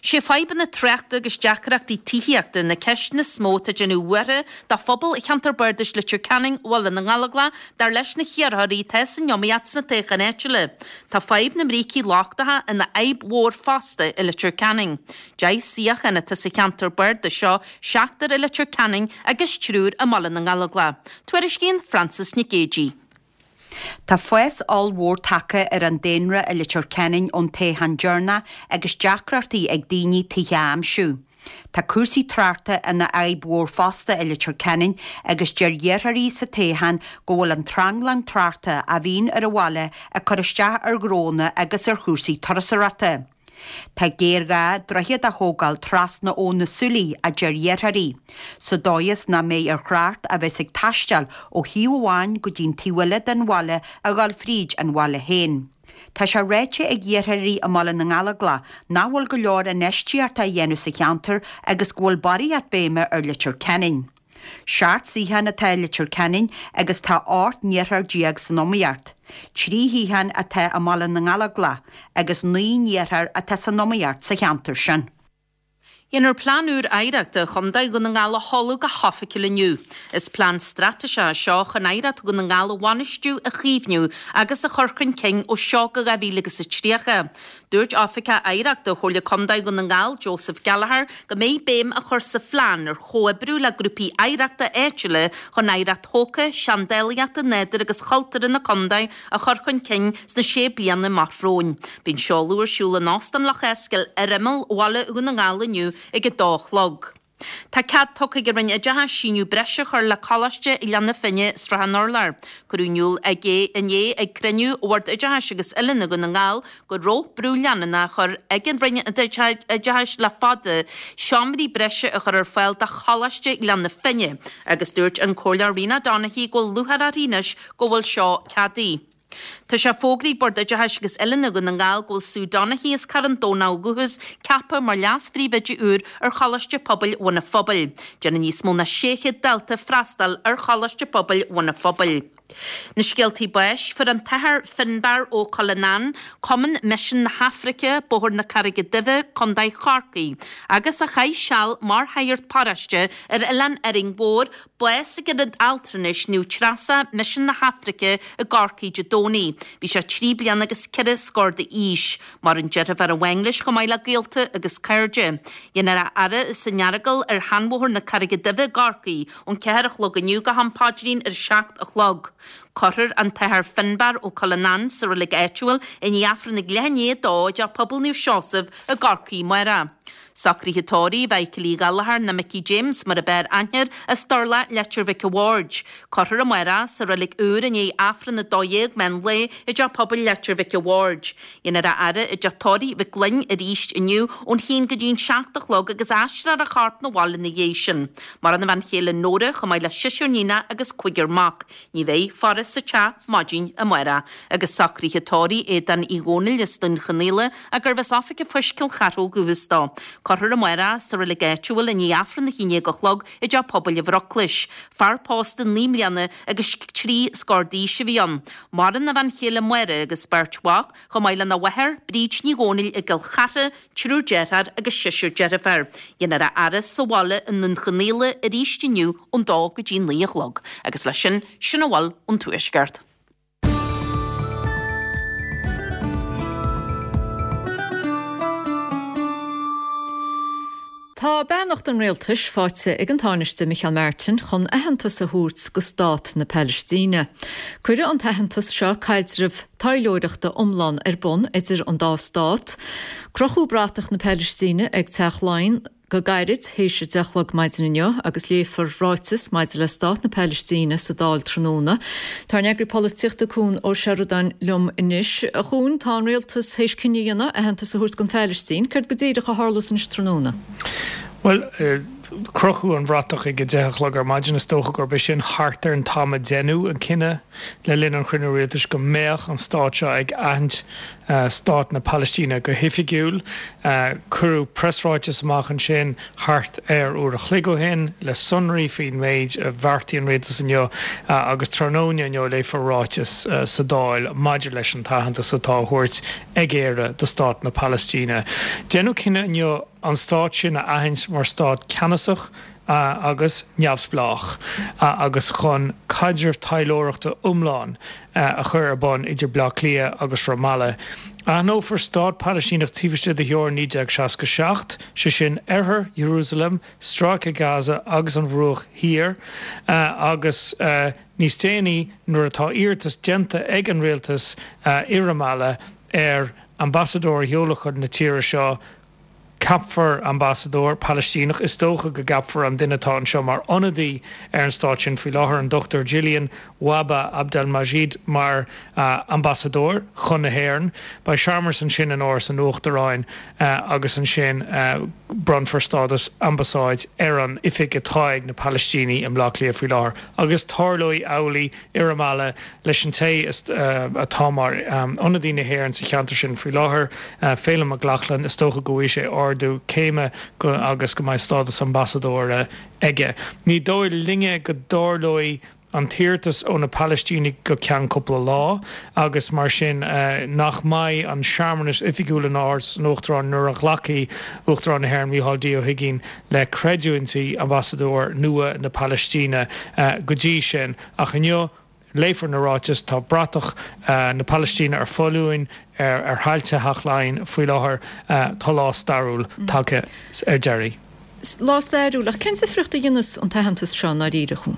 Sé fadhbanna tráchta agus deacrachtaí tithíochta na ceisteanna is mó atá ag déanamh buartha do phobal Cheantar Bardais Leitir Ceanainn, Bhaile na nGallóglach, dar leis na hiarrthóirí atá san iomaíocht sna toghcháin áitiúla. Tá fadhb na mbrící lochtacha ina fhadhb mhór fosta i Leitir Ceanainn. Deich suíochán atá sa cheantar bardais seo, seachtar i Leitir Ceanainn agus triúr i mBaile na nGallóglach. Tuairiscíonn Frances Nic Géadaigh. Tá fás ollmhór tagtha ar an daonra i Leitir Ceanainn ón toghchán deireanach agus deacrachtaí ag daoine tithe a aimsiú. Tá cúrsaí tráchta ina fhadhb mhór fosta i Leitir Ceanainn agus deir iarrthóirí sa toghchán go bhfuil an tranglam tráchta a bhíonn ar an bhaile ag cur isteach ar ghnónna agus ar chúrsaí turasóireachta. Tá géarghá droichead a thógáil trasna Abhainn na Súilí, a deir iarrthóirí, sa dóigh is nach mbeidh ar thrácht a bheas ag taisteal ó thaobh amháin go dtí'n taobh eile den bhaile a dhul fríd an bhaile féin. Tá sé ráite ag iarrthóirí i mBaile na nGallóglach nach bhfuil go leor infheistíochta á dhéanamh sa cheantar agus go bhfuil barraíocht béime ar Leitir Ceanainn. Seacht suíochán atá i Leitir Ceanainn agus tá ocht n-iarrthóir déag san iomaíocht. Trí shuíochán atá i mBaile na nGallóglach agus naoi n-iarrthóir atá san iomaíocht sa cheantar sin. Dhéanfar Plean úr Oidhreachta Chontae Dhún na nGall a sheoladh go hoifigiúil inniu. Is plean straitéiseach é seo chun oidhreacht Dhún na nGall a bhainistiú, a chaomhnú agus a chur chun cinn ó seo go dhá mhíle agus a tríocha. Dúirt Oifigeach Oidhreachta Chomhairle Contae Dhún na nGall, Joseph Gallagher, go mbeidh béim á chur sa phlean ar chomhoibriú le grúpaí oidhreachta áitiúla chun oidhreacht thógtha, seandálaíochta, nádúir agus chultúrtha na contae a chur chun cinn sna sé bliana amach romhainn. Beidh an seoladh ar siúl in Óstán Loch Eascail ar imeall bhaile Dhún na nGall inniu ag a dó a chlog. Tá cead tugtha ag an Roinn Oideachais síneadh breise a chur le Coláiste Ghleann na Finne, Srath an Urláir. Cuireadh in iúl inné ag cruinniú Bhord Oideachais agus Oiliúna Dhún na nGall go raibh brú leanúnach á chur ag an Roinn Oideachais le fada seomraí breise a chur ar fáil do Choláiste Ghleann na Finne agus dúirt an Comhairleoir Rena Donaghey go bhfuil lúcháir uirthi anois go bhfuil seo ceadaithe. Tá sé fógraithe ag Bord Oideachais agus Oiliúna Dhún na nGall go bhfuil Sue Donaghy as Carn Domhnach ó dhúchas ceaptha mar leas-phríomhoide úr ar Choláiste Pobail Bhun an Phobail. Déanann níos mó ná sé chéad dalta freastal ar Choláiste Pobail Bhun an Phobail. Na scéaltaí báis, Fuair an tAthair Finbarr Ó Cuileanáin, Cumann Misean na hAfraice, Bóthar na Carraige Duibhe, Contae Chorcaí, agus a chaith seal mar shagart paróiste ar Oileán Árainn Mhór, bás ag Ionad Altranais Naomh Treasa, Misean na hAfraice i gCorcaigh Dé Domhnaigh. Bhí sé trí bliana agus ceithre scór d'aois. Maireann deirfiúr amháin leis chomh maith le gaolta agus cairde. Déanfar a fhaire san Earagail ar Sheanbhóthar na Carraige Duibhe i gCorcaigh ón ceathair a chlog inniu go ham paidrín ar a seacht a chlog. Cuirfear an tAthair Finbarr Ó Cuileanáin sa reilig áitiúil i ndiaidh Aifreann ag leath i ndiaidh a dó i dTeach Pobail Naomh Seosamh i gCorcaigh amárach. Socruithe tórraimh Mhichael Uí Ghallchóir nó Micí James mar ab fhearr aithne air as Durlach Leitir Mhic a' Bhaird. Cuirfear amárach sa reilig úr i ndiaidh Aifreann a dó dhéag meán lae i dTeach Pobail Leitir Mhic a' Bhaird. Déanfar a fhaire i dTeach Tórraimh Mhic Fhloinn arís inniu ón haon go dtí an seacht a chlog agus aistreofar a chorp 'na bhaile ina dhiaidh sin. Maireann a bhean chéile Nóra chomh maith le seisear níonach agus cúigear mac. Ní bheidh faire sa teach maidin amárach agus socruithe tórraimh Aodáin Uí Dhónaill as Dún Chonaill gurbh as Oifig an Phoist Cill Chartha ó dhúchas dó. Cuirfear amárach sa reilig áitiúil i ndiaidh Aifreann a haon déag a chlog i dTeach Pobail an Bhruclais. Fear pósta naoi mbliana agus trí scór d'aois a bhí ann. Maireann a bhean chéile Máire agus beirt mhac, chomh maith lena mháthair, Bríd Ní Dhónaill i gCill Chartha, triúr dearthár agus seisear deirfiúr. Déanfar a fhaire sa bhaile i nDún Chonaill arís inniu ón dó go dtí naoi a chlog. Agus leis sin, sin a bhfuil ón Tuaisceart. Tá beannacht an rialtais faighte ag an Tánaiste Micheál Martin chun aitheantas a thabhairt go stát na Palaistíne. Cuirfidh an t-aitheantas seo caidreamh taidhleoireachta iomlán ar bun idir an dá stát. Crochadh bratach na Palaistíne ag Teach Laighean go gairid théis a deich a chlog maidin inniu agus léifear ráiteas maidir le stát na Palaistíne sa Dáil tráthnóna. Tá ár n-eagraí polaitíochta Cuan Ó Seireadáin liom anois. A Chuain, tá an rialtas théis cinneadh a dhéanamh aitheantas a thabhairt don Phalaistín. Céard go díreach a tharlós anois tráthnóna? Bhuel, crochadh an bhratach ag a deich a chlog ar maidin. Is dócha gurb é sin thart ar an t-am a deineadh an cinneadh le linn an chruinniú rialtais go mbeadh an stát seo ag aithint stát na Palaistíne go hoifigiúil. Cuireadh preasráiteas amach ansin thart ar uair a chloig ó shin le sonraí faoin méid a bheartaigh an rialtas inniu agus tráthnóna inniu léifear ráiteas sa Dáil maidir leis an t-aitheantas atá á thabhairt ag Éire do stát na Palaistíne. Deineadh cinneadh inniu an stát sin a aithint mar stát ceannasach agus neamhspleách agus chun caidreamh taidhleoireachta iomlán a chur ar bun idir Bleá Cliath agus Ramallah. Aithneofar stát Palaistíneach taobh istigh de theorainn naoi déag seasca seacht, sé sin oirthear Iarúsailéim, Stráice Gaza agus an Bhruach Thiar, agus níos déanaí nuair atá iarratas déanta ag an rialtas i Ramallah ar ambasadóir a sheoladh chun na tíre seo, Ceapfar ambasadóir Palaistíneach. Is dócha go gceapfar an duine atá anseo mar ionadaí ar an stát sin faoi láthair, an Dochtúir Gillian Wahba Abdelmajid, mar ambasadóir chun na hÉireann. Beidh searmanas ansin in Áras an Uachtaráin agus ansin bronnfar stádas ambasáid ar an oifig atá ag na Palaistínigh i mBleá Cliath faoi láthair agus tarlóidh amhlaidh i Ramallah leis an té atá mar ionadaí na hÉireann sa cheantar sin faoi láthair, Féilim Mac Lochlainn. Is dócha go bhfaighidh sé ardú céime agus go mbeidh stádas ambasadóra aige. Ní dóigh linne go dtarlóidh an t-iarratas ó na Palaistínigh go ceann cúpla lá agus mar sin nach mbeidh an searmanas oifigiúil in Áras an Uachtaráin nuair a ghlacfaidh Uachtarán na hÉireann Micheál D Ó hUigínn le creidiúintí ambasadóir nua na Palaistíne go dtí sin. Ach inniu, léifear na ráitis, tá bratach na Palaistíne ar foluain ar thailte Theach Laighean faoi láthair. Tá lá stairiúil tagtha ar deireadh. Lá stairiúil, ach cén difríocht a dhéanfas an t-aitheantas seo i ndáiríre, a Chuain?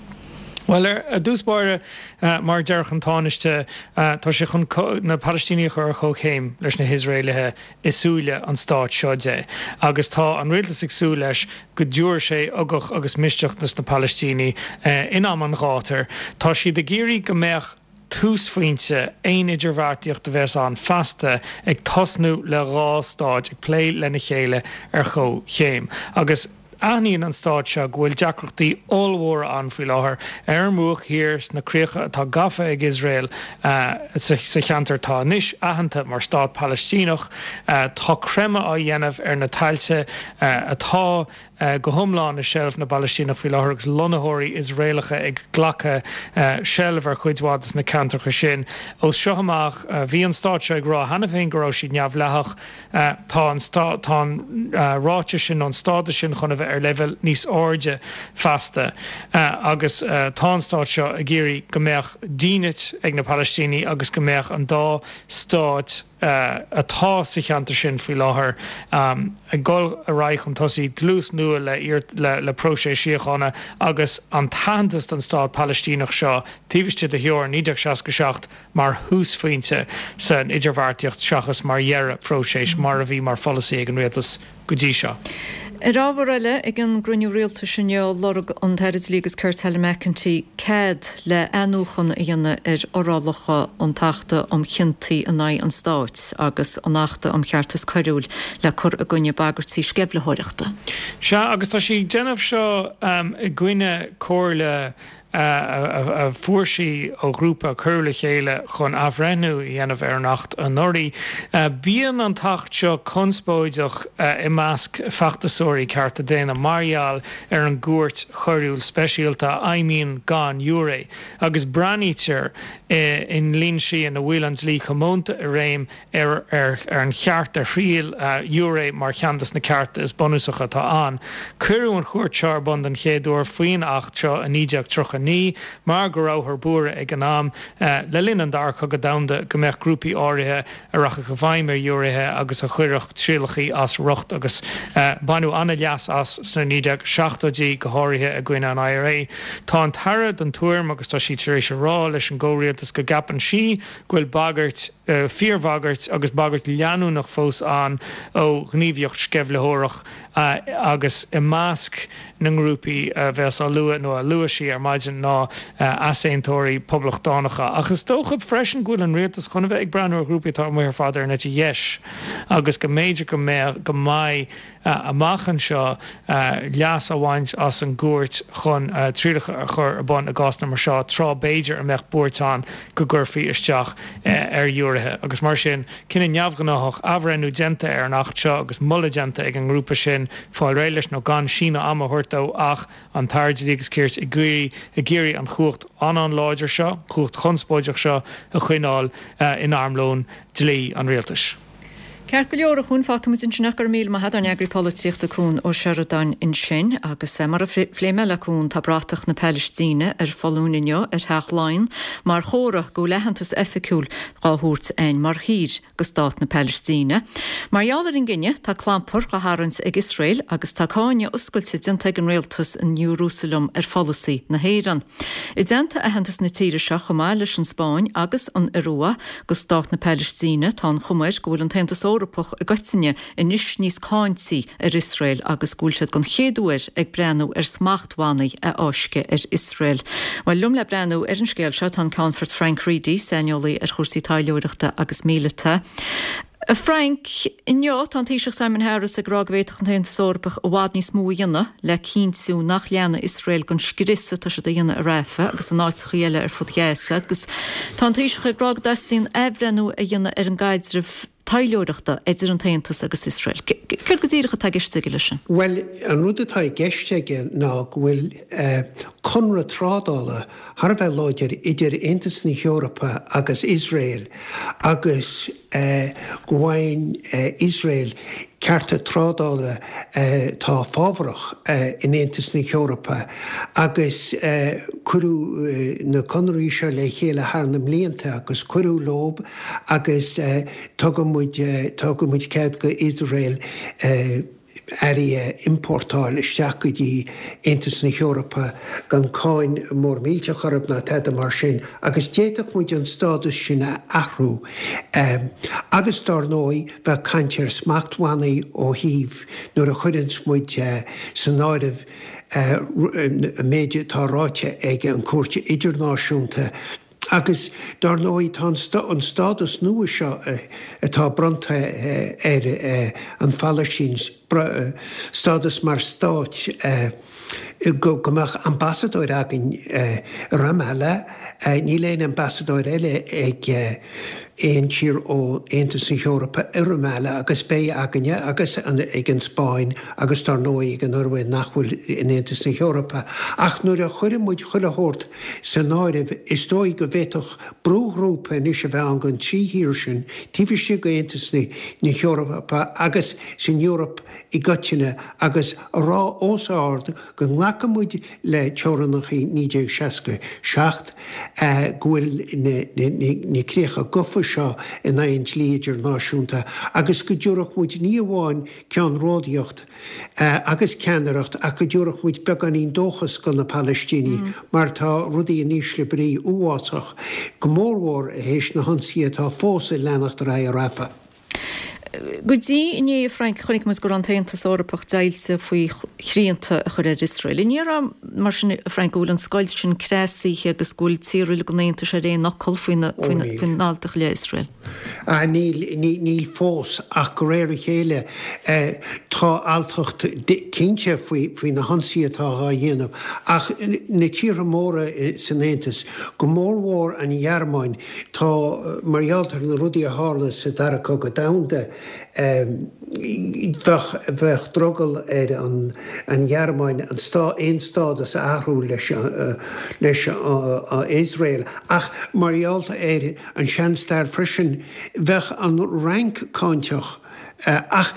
Bhuel, ar dtús báire, mar a déarfadh an Tánaiste, tá sé chun na Palaistínigh a chur ar comhchéim leis na hIosraelaithe i súile an stáit seo de. Agus tá an rialtas ag súil leis go dtabharfaidh sé ugach agus misneach dos na Palaistínigh in am an ghátair. Tá siad ag iarraidh go mbeadh túsphointe aon idirbheartaíocht a bheas ann feasta ag tosnú le dhá stáit ag plé lena chéile ar chomhchéim. Agus. Aithníonn an stát seo go bhfuil deacrachtaí ollmhóra ann faoi láthair ar an mBruach Thiar, sna críocha atá gafa ag Iosrael sa cheantar atá anois aitheanta mar stát Palaistíneach. Tá creimeadh á dhéanamh ar na tailte atá go hiomlán i seilbh na bPalaistíneach faoi láthair agus lonnaitheoirí Iosraelacha ag glacadh seilbh ar chuid mhaith de na ceantracha sin. Ó seo amach, bhí an stát seo ag rá cheana féin go raibh siad neamhdhleathach. Tá an tá an ráiteas sin nó an stádas sin chun a bheith ar leibhéal níos airde feasta agus tá an stát seo ag iarraidh go mbeadh dínit ag na Palaistínigh agus go mbeadh an dá stát atá sa cheantar sin faoi láthair ag dul ar aghaidh chun tosaigh, dlús nua le le próiseas síochána agus an t-aitheantas don stát Palaistíneach seo taobh istigh de theorainn naoi déag seasca seacht mar thúsphointe san idirbheartaíocht seachas mar dheireadh próisis, mar a bhí mar pholasaí ag an rialtas go dtí seo. Ar ábhar eile, ag an gcruinniú rialtais inniu, lorg an tAire Dlí agus Cirt Helen McEntee cead le athnuachan a dhéanamh ar fhorálacha an tAchta um Chiontaí in aghaidh an Stáit agus an Achta um Cheartas Coiriúil le cur i gcoinne bagairtí sceimhlitheoireachta. Sea, agus tá sí ag déanamh seo i gcoinne comhairle a fuair sí ó ghrúpa a cuireadh le chéile chun athbhreithniú a dhéanamh ar an Acht anuraidh. Bíonn an tAcht seo conspóideach i measc feachtasóirí cearta daonna mar gheall ar an gCúirt Choiriúil Speisialta a fheidhmíonn gan ghiúiré agus breathnaítear i ndlínsí ina bhfuil an dlí comónta i réim ar an cheart ar thriail ghiúiré mar cheann de na cearta is bunúsacha atá ann. Cuireadh an chúirt seo ar bun den chéad uair faoin Acht seo i naoi déag tríocha a naoi mar go rabhthar buartha ag an am, le linn an Dara Cogadh Domhanda, go mbeadh grúpaí áirithe a rachadh i bhfeidhm ar ghiúiréithe agus a chuirfeadh trialacha as riocht agus baineadh an-leas as sna naoi déag seachtóidí, go háirithe i gcoinne an IRA. Tá an tAire den tuairim, agus tá sí tar éis a rá leis an gcomhrialtas go gceapann sí go bhfuil bagairt, fíorbhagairt agus bagairt leanúnach fós ann ó ghníomhaíocht sceimhlitheoireach agus i measc na ngrúpaí a bheas á lua nó a luaigh sí ar maidin ná easaontóirí poblachtánacha. Ach is dócha freisin go bhfuil an rialtas chun a bheith ag breathnú ar ghrúpaí atá amuigh ar fad ar an eite dheis agus go mb'fhéidir go mbeadh go mbeidh amach anseo leas á bhaint as an gcúirt chun trialacha a chur ar bun i gcásanna mar seo, tráth b'fhéidir a mbeadh buairt ann go gcuirfí isteach ar ghiúiréithe. Agus mar sin, cinneadh neamhghnáthach, athbhreithniú déanta ar an Acht seo agus moladh déanta ag an ngrúpa sin fáil réidh leis nó gan síneadh ama a thabhairt dó ach an tAire Dlí agus Cirt ag iarraidh an chumhacht an-an-láidir seo, cumhacht chonspóideach seo a choinneáil in armlón dlí an rialtais. Ceart go leor, a Chuain, fágfaimid ansin é. Go raibh míle maith agat, ár n-eagraí polaitíochta Cuan Ó Seireadáin ansin. Agus mar a phléigh mé le Cuan, tá bratach na Palaistíne ar foluain inniu ar Theach Laighean mar chomhartha go bhfuil aitheantas oifigiúil dhá thabhairt againn mar thír go Stát na Palaistíne. Mar gheall ar an gcinneadh, tá clampar dhá tharraingt ag Iosrael agus tá cáineadh oscailte déanta ag an rialtas in Iarúsailéim ar pholasaí na hÉireann. I dteannta aitheantas na tíre seo chomh maith leis an Spáinn agus an Iorua go Stát na Palaistíne, tá an chuma air go bhfuil an tAontas Eorpach i gcoitinne anois níos cáintí ar Iosrael agus go bhfuil siad den chéad uair ag breathnú ar smachtbhannaí a fháisceadh ar Iosrael. Bhuel, liom le breathnú ar an scéal seo tá an Ceannfort Frank Reidy, saineolaí ar chúrsaí taidhleoireachta agus míleata. A Frank, inniu tá an Taoiseach Simon Harris ag rá go bhféadfadh an tAontas Eorpach i bhfad níos mó a dhéanamh le cinntiú nach leanfaidh Iosrael den scrios atá siad a dhéanamh i Rafah agus in áiteacha eile ar fud Ghaza agus tá an Taoiseach ag rá go dteastaíonn athbhreithniú a dhéanamh ar an gcaidreamh taidhleoireachta idir an tAontas agus Iosrael. Céard go díreach atá i gceist aige leis sin? Bhuel, an rud atá i gceist aige ná go bhfuil conradh trádála thar a bheith láidir idir Aontas na hEorpa agus Iosrael agus go bhfaigheann Iosrael cearta trádála atá fábharach in Aontas na hEorpa agus cuireadh na conarthaí seo le chéile thar na mblianta agus cuireadh leo agus tugann muid tugann muid cead go Iosrael earraí a iompórtáil isteach go dtí Aontas na hEorpa gan cáin mór millteach orthu ná tada mar sin agus d'fhéadfadh muid an stádas sin a athrú. Agus dár ndóigh bheadh caint ar smachtbhannaí ó thaobh nuair a chuireanns muid san áireamh an méid atá ráite ag an Chúirt Idirnáisiúnta, Agus dar ndóigh tá an stádas nua seo atá bronnta ar an Phalaistín, stádas mar stát, go mbeadh ambasadóir againn i Ramallah, níl aon ambasadóir eile ag aon tír ó Aontas na hEorpa i Ramallah agus beidh againne agus ag an Spáinn agus dar ndóigh ag an Ioruaidh nach bhfuil in Aontas na hEorpa. Ach nuair a chuireann muid chuile shórt san áireamh is dóigh go bhféadfadh brúghrúpa anois a bheith ann den trí thír sin taobh istigh d'Aontas na hEorpa agus san Eoraip i gcoitinne agus a rá os ard go nglacann muid le teorainneacha naoi déag seasca seacht, go bhfuil na críocha gofa seo in aghaidh an dlí idirnáisiúnta agus go dtabharfadh muid ní amháin ceannródaíocht agus ceannaireacht ach go dtabharfadh muid beagáinín dóchas do na Palaistínigh mar tá rudaí in ísle brí uafásach, go mórmhór théis na hionsaithe atá fós ag leanacht ar aghaidh i Rafah. Go dtí inné, a Frank, chonaic muid go raibh an tAontas Eorpach deighilte faoi shrianta a chur ar Iosrael. An ndéarfá, mar sin, a Frank, go bhfuil an scoilt sin creasaithe agus go bhfuil tíortha uilig an Aontais ar aon fhocal faoina alltacht i leith Iosrael? Níl, níl fós, ach de réir a chéile tá alltacht cinnte faoi na hionsaithe atá á dhéanamh. Ach na tíortha móra san Aontas, go mórmhór an Ghearmáin, tá, mar gheall ar na rudaí a tharla sa Dara Cogadh Domhanda, bheadh bheadh drogall ar an an Ghearmáin an stá aon stádas a athrú leis leis Iosrael ach mar gheall ar an seanstair freisin bheadh an Fhrainc cáinteach ach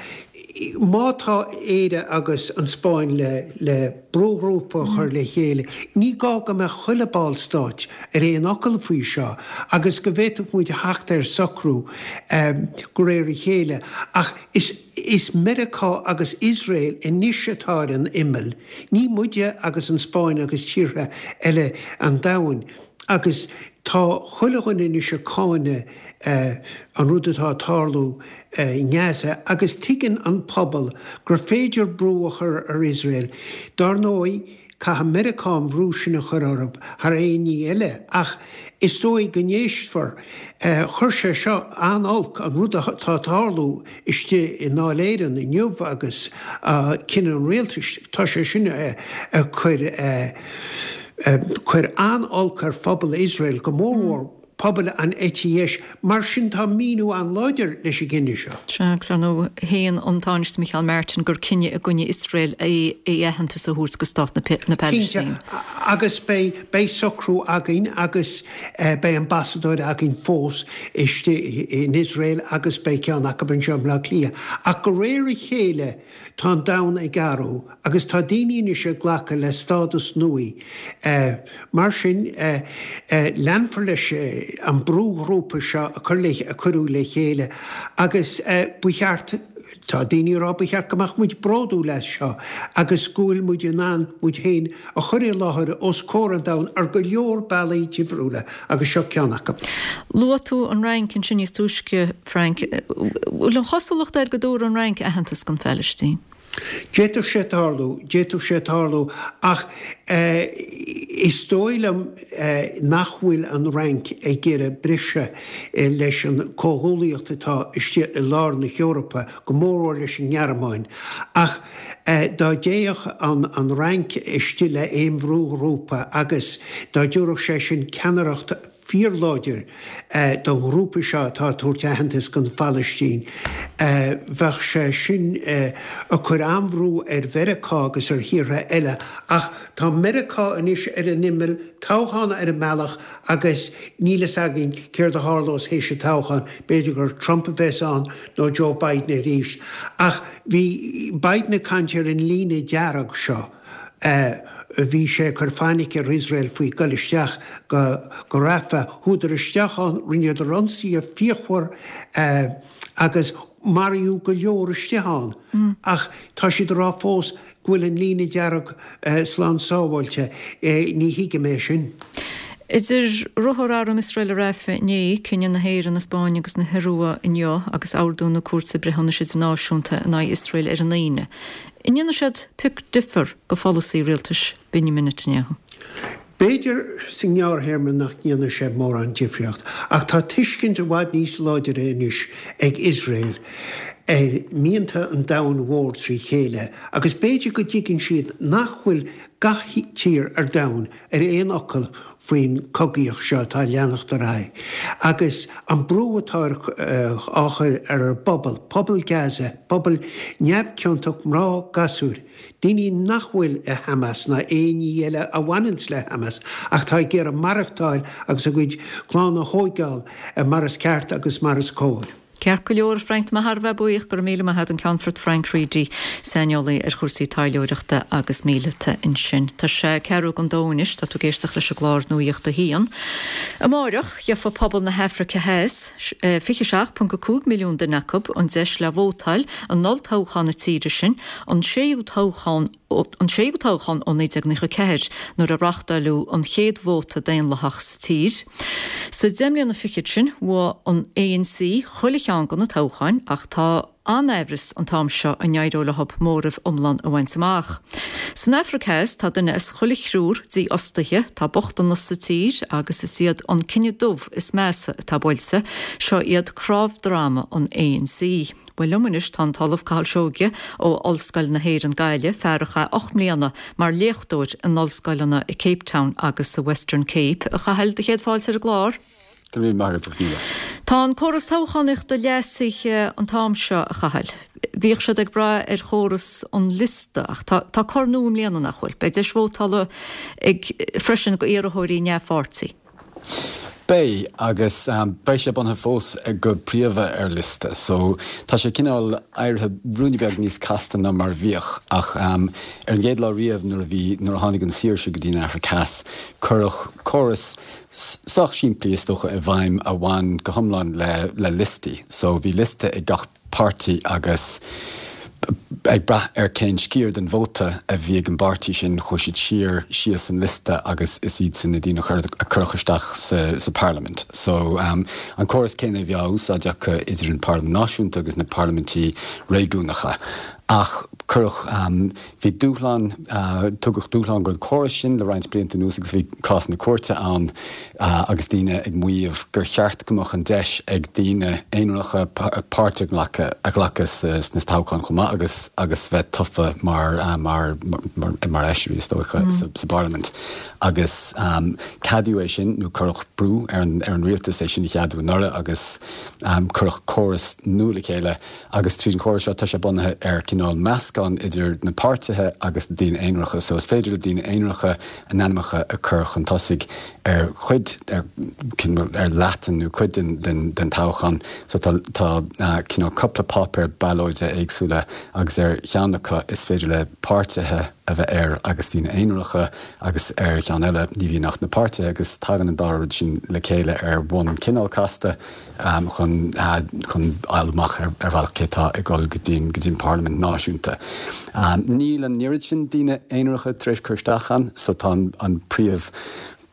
má tá Éire agus an Spáinn le le brúghrúpa a chur le chéile ní gá go mbeadh chuile ballstáit ar aon fhocal faoi seo agus go bhféadfadh muid a theacht ar socrú de réir a chéile ach is is Meiriceá agus Iosrael anois atá ar an imeall, ní muide agus an Spáinn agus tíortha eile an domhain agus tá chuile dhuine anois ag cáineadh an rud atá ag tarlú i nGaza agus tuigeann an pobal gur féidir brú a chur ar Iosrael. Dar ndóigh, caithfidh Meiriceá an brú sin a chur orthu thar aon ní eile ach is dóigh go n-éistfear. Chuir sé seo an-olc, an rud atá ag tarlú istigh i nDáil Éireann inniu agus cinneadh an rialtais, tá sé sin ag cur Cuir an-olc ar phobal Iosrael, go mórmhór pobal an eite dheis. Mar sin tá míniú an-láidir leis an gcinneadh seo. Sea, agus ar ndóigh, shéan an Tánaiste Micheál Martin gur cinneadh i gcoinne Iosrael é aitheantas a thabhairt do Stát na Palaistíne. Cinnte, agus beidh socrú againn agus beidh ambasadóir againn fós istigh in Iosrael agus beidh ceann acu anseo i mBleá Cliath. Ach de réir a chéile tá an domhan ag athrú. Agus tá daoine anois ag glacadh le stádas nua. Mar sin, leanfar leis an brúghrúpa seo a cuireadh le chéile agus ba cheart, tá daoine ag rá, ba cheart go mbeadh muid bródúil as seo agus go bhfuil muid in ann muid féin a chur i láthair os comhair an domhain ar go leor bealaí difriúla agus seo ceann acu. Luaigh tú an Fhrainc ansin níos túisce, Frank. Bhfuil an chosúlacht air go dtabharfaidh an Fhrainc aitheantas don Phalaistín? D'fhéadfadh sé tarlú, d'fhéadfadh sé tarlú, ach is dóigh liom nach bhfuil an Fhrainc ag iarraidh briseadh leis an comhghuaillíocht atá istigh i lár na hEorpa, go mórmhór leis an nGearmáin. Ach dá dtéadh an Fhrainc istigh le aon bhrúghrúpa agus dá dtabharfadh sé sin ceannaireacht fíorláidir don ghrúpa seo atá ag tabhairt aitheantas don Phalaistín. Bheadh sé sin ag cur an-bhrú ar Mheiriceá agus ar thíortha eile ach tá Meiriceá anois ar an imeall, toghchán ar an mbealach agus níl fhios againn céard a tharlós théis an toghcháin, b'fhéidir gur Trump a bheas ann nó Joe Biden arís. Ach bhí Biden ag caint ar an líne dearg seo. Bhí sé ag cur fainic ar Iosrael faoi goil isteach go go Rafah. Chuadar isteach ann, rinneadar ionsaithe fíochmhar agus maraíodh go leor istigh ann. Ach tá siad ag rá fós go bhfuil an líne dearg slán sábháilte. Ní thuigim é sin. Idir ruathar arm Iosrael i Rafah inné, cinneadh na hÉireann, na Spáinne agus na hIorua inniu agus ordú na Cúirte Breithiúnais Idirnáisiúnta in aghaidh Iosrael ar an Aoine, an ndéanfaidh siad pioc difear do pholasaí rialtais Benjamin Netanyahu? B'fhéidir sa ngearrthéarma nach ndéanfaidh sé mórán difríocht, ach tá tuiscint i bhfad níos láidire anois ag Iosrael ar mhianta an domhain mhóir trí chéile agus b'fhéidir go dtuigeann siad nach bhfuil gach tír ar domhan ar aon fhocal faoin chogaíocht seo atá ag leanacht ar aghaidh agus an brú atá á chur ar an bpobal, pobal Gaza, pobal neamhchiontach, mná, gasúir. Daoine nach bhfuil i Hamas ná aon ní eile a bhaineanns le Hamas ach tá ag iarraidh maireachtáil agus a gcuid clann a thóigeáil mar is ceart agus mar is cóir. Ceart go leor, a Frank, tá mé thar a bheith buíoch, go raibh míle maith agat, an Ceannfort Frank Reidy, saineolaí ar chúrsaí taidhleoireachta agus míleata ansin. Tá sé ceathrú don dó anois, tá tú ag éisteacht leis an gclár Nuacht a hAon. Amáireach, gheofa pobal na hAfraice Theas, fiche seacht ponc a cúig milliún duine acu, an deis le vótáil in olltoghchán na tíre sin, an séú toghchán an séú toghchán ó naoi déag nócha ceathair, nuair a reáchtáileadh an chéad vóta daonlathach sa tír. Sa deich mbliana fichead sin, bhuaigh an ANC chuile cheann de na toghcháin ach tá an-aimhreas an t-am seo an n-éireoidh leo móramh iomlán a bhaint amach. San Afraic Theas tá duine as chuile thriúr dífhostaithe, tá bochtanas sa tír agus is iad an cine dubh is measa atá buailte, seo iad cnámhdroma an ANC. Bhuel liom anois tá an tOllamh Cathal Seoighe ó Ollscoil na hÉireann Gaillimh, fear a chaith ocht mbliana mar léachtóir in ollscoileanna i Cape Town agus sa Western Cape. A Chathail, do chéad fáilte ar an gclár. Go raibh míle maith agat, a Shíle. Tá an córas toghchánaíochta leasaithe an t-am seo, a Chathail. Bhíodh siad ag brath ar chóras an liosta ach tá tá cor nua i mbliana, nach bhfuil? Beidh deis vótála ag freisin go iarrthóirí neamhpháirtí. Beidh, agus beidh sé bunaithe fós go príomha ar liosta, so tá sé cineál éirithe ruainne beag níos casta ná mar a bhíodh, ach ar an gcéad lá riamh nuair a bhí, nuair a tháinig an saoirse go dtí an Afraic Theas, cuireadh córas sách simplí is dócha i bhfeidhm a bhain go hiomlán le le liostaí. So bhí liosta ag gach páirtí agus ag brath ar cén sciar den vóta a bhí ag an bpáirtí sin, chuaigh siad siar síos an liosta agus is iadsan na daoine a cuireadh isteach sa bparlaimint. So an córas céanna a bhí á úsáid acu idir an Parlaimint Náisiúnta agus na parlaimintí réigiúnacha. Ach cuireadh, bhí dúshlán, tugadh dúshlán don chóras sin le roinnt blianta anuas agus bhí cásanna cúirte ann agus daoine ag maíomh gur cheart go mbeadh an deis ag daoine aonaracha páirt a ghlacadh sna toghcháin chomh maith agus agus bheith tofa mar mar mar fheisirí is dócha sa bparlaimint. Agus ceadaíodh é sin nó cuireadh brú ar an ar an rialtas é sin a cheadú anuraidh agus cuireadh córas nua le chéile agus tríd an chóras seo tá sé bunaithe ar cineál meascán idir na páirtithe agus na daoine aonaracha. So is féidir le daoine aonaracha a n-ainmneacha a chur chun tosaigh ar chuid, ar, ar leath den nó cuid den, den, den toghchán. So tá, tá cineál cúpla páipéar ballóide éagsúla agus ar cheann acu is féidir le páirtithe a bheith air agus daoine aonaracha agus ar cheann eile ní bhíonn ach na páirtithe agus tagann an dá rud sin le chéile ar bhonn cineál casta chun chun fháil amach ar bhealach cé atá ag dul go dtí go dtí an Parlaimint náisiúnta. Níl an oiread sin daoine aonaracha tar éis cur isteach ann so tá an príomh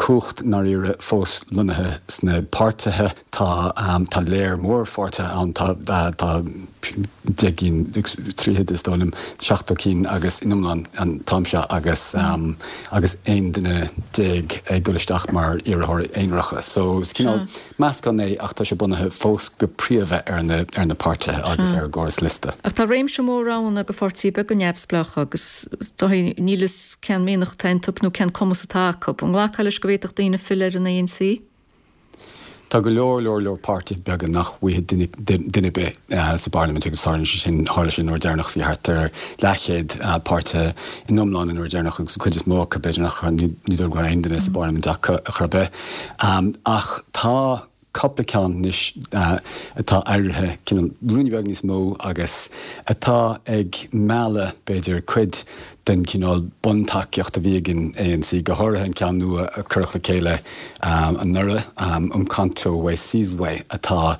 cumhacht i ndáiríre fós lonnaithe sna páirtithe. Tá tá léar mór pháirtithe ann, tá tá deich gcinn, tríocha is dóigh liom, seachtó cinn agus in iomlán an t-am seo agus agus aon duine déag ag dul isteach mar iarrthóirí aonaracha. So is cineál meascán é ach tá sé bunaithe fós go príomha ar na ar na páirtithe agus ar an gcóras liosta. Ach tá réimse mór roghanna go pháirtithe beaga neamhspleácha agus níl fhios cén mianach atá iontu nó cén cumas atá acu. An nglacfá leis go bhféadfadh daoine filleadh ar an ANC? Tá go leor, leor, leor páirtithe beaga nach bhfaighidh duine ar bith sa bparlaimint agus tharla sé sin, tharla sé an uair deireanach, bhí thart ar leathchéad páirtithe in iomlán an uair deireanach agus an chuid is mó acu, b'fhéidir nach raibh, ní dóigh go raibh aon duine sa bparlaimint acu ar chor ar bith. Ach tá cúpla ceann anois atá éirithe cineál ruainne beag níos mó agus atá ag mealladh, b'fhéidir, cuid den chineál buntacaíocht a bhí ag an ANC, go háirithe an ceann nua a cuireadh le chéile anuraidh, Umkhonto we Sizwe, atá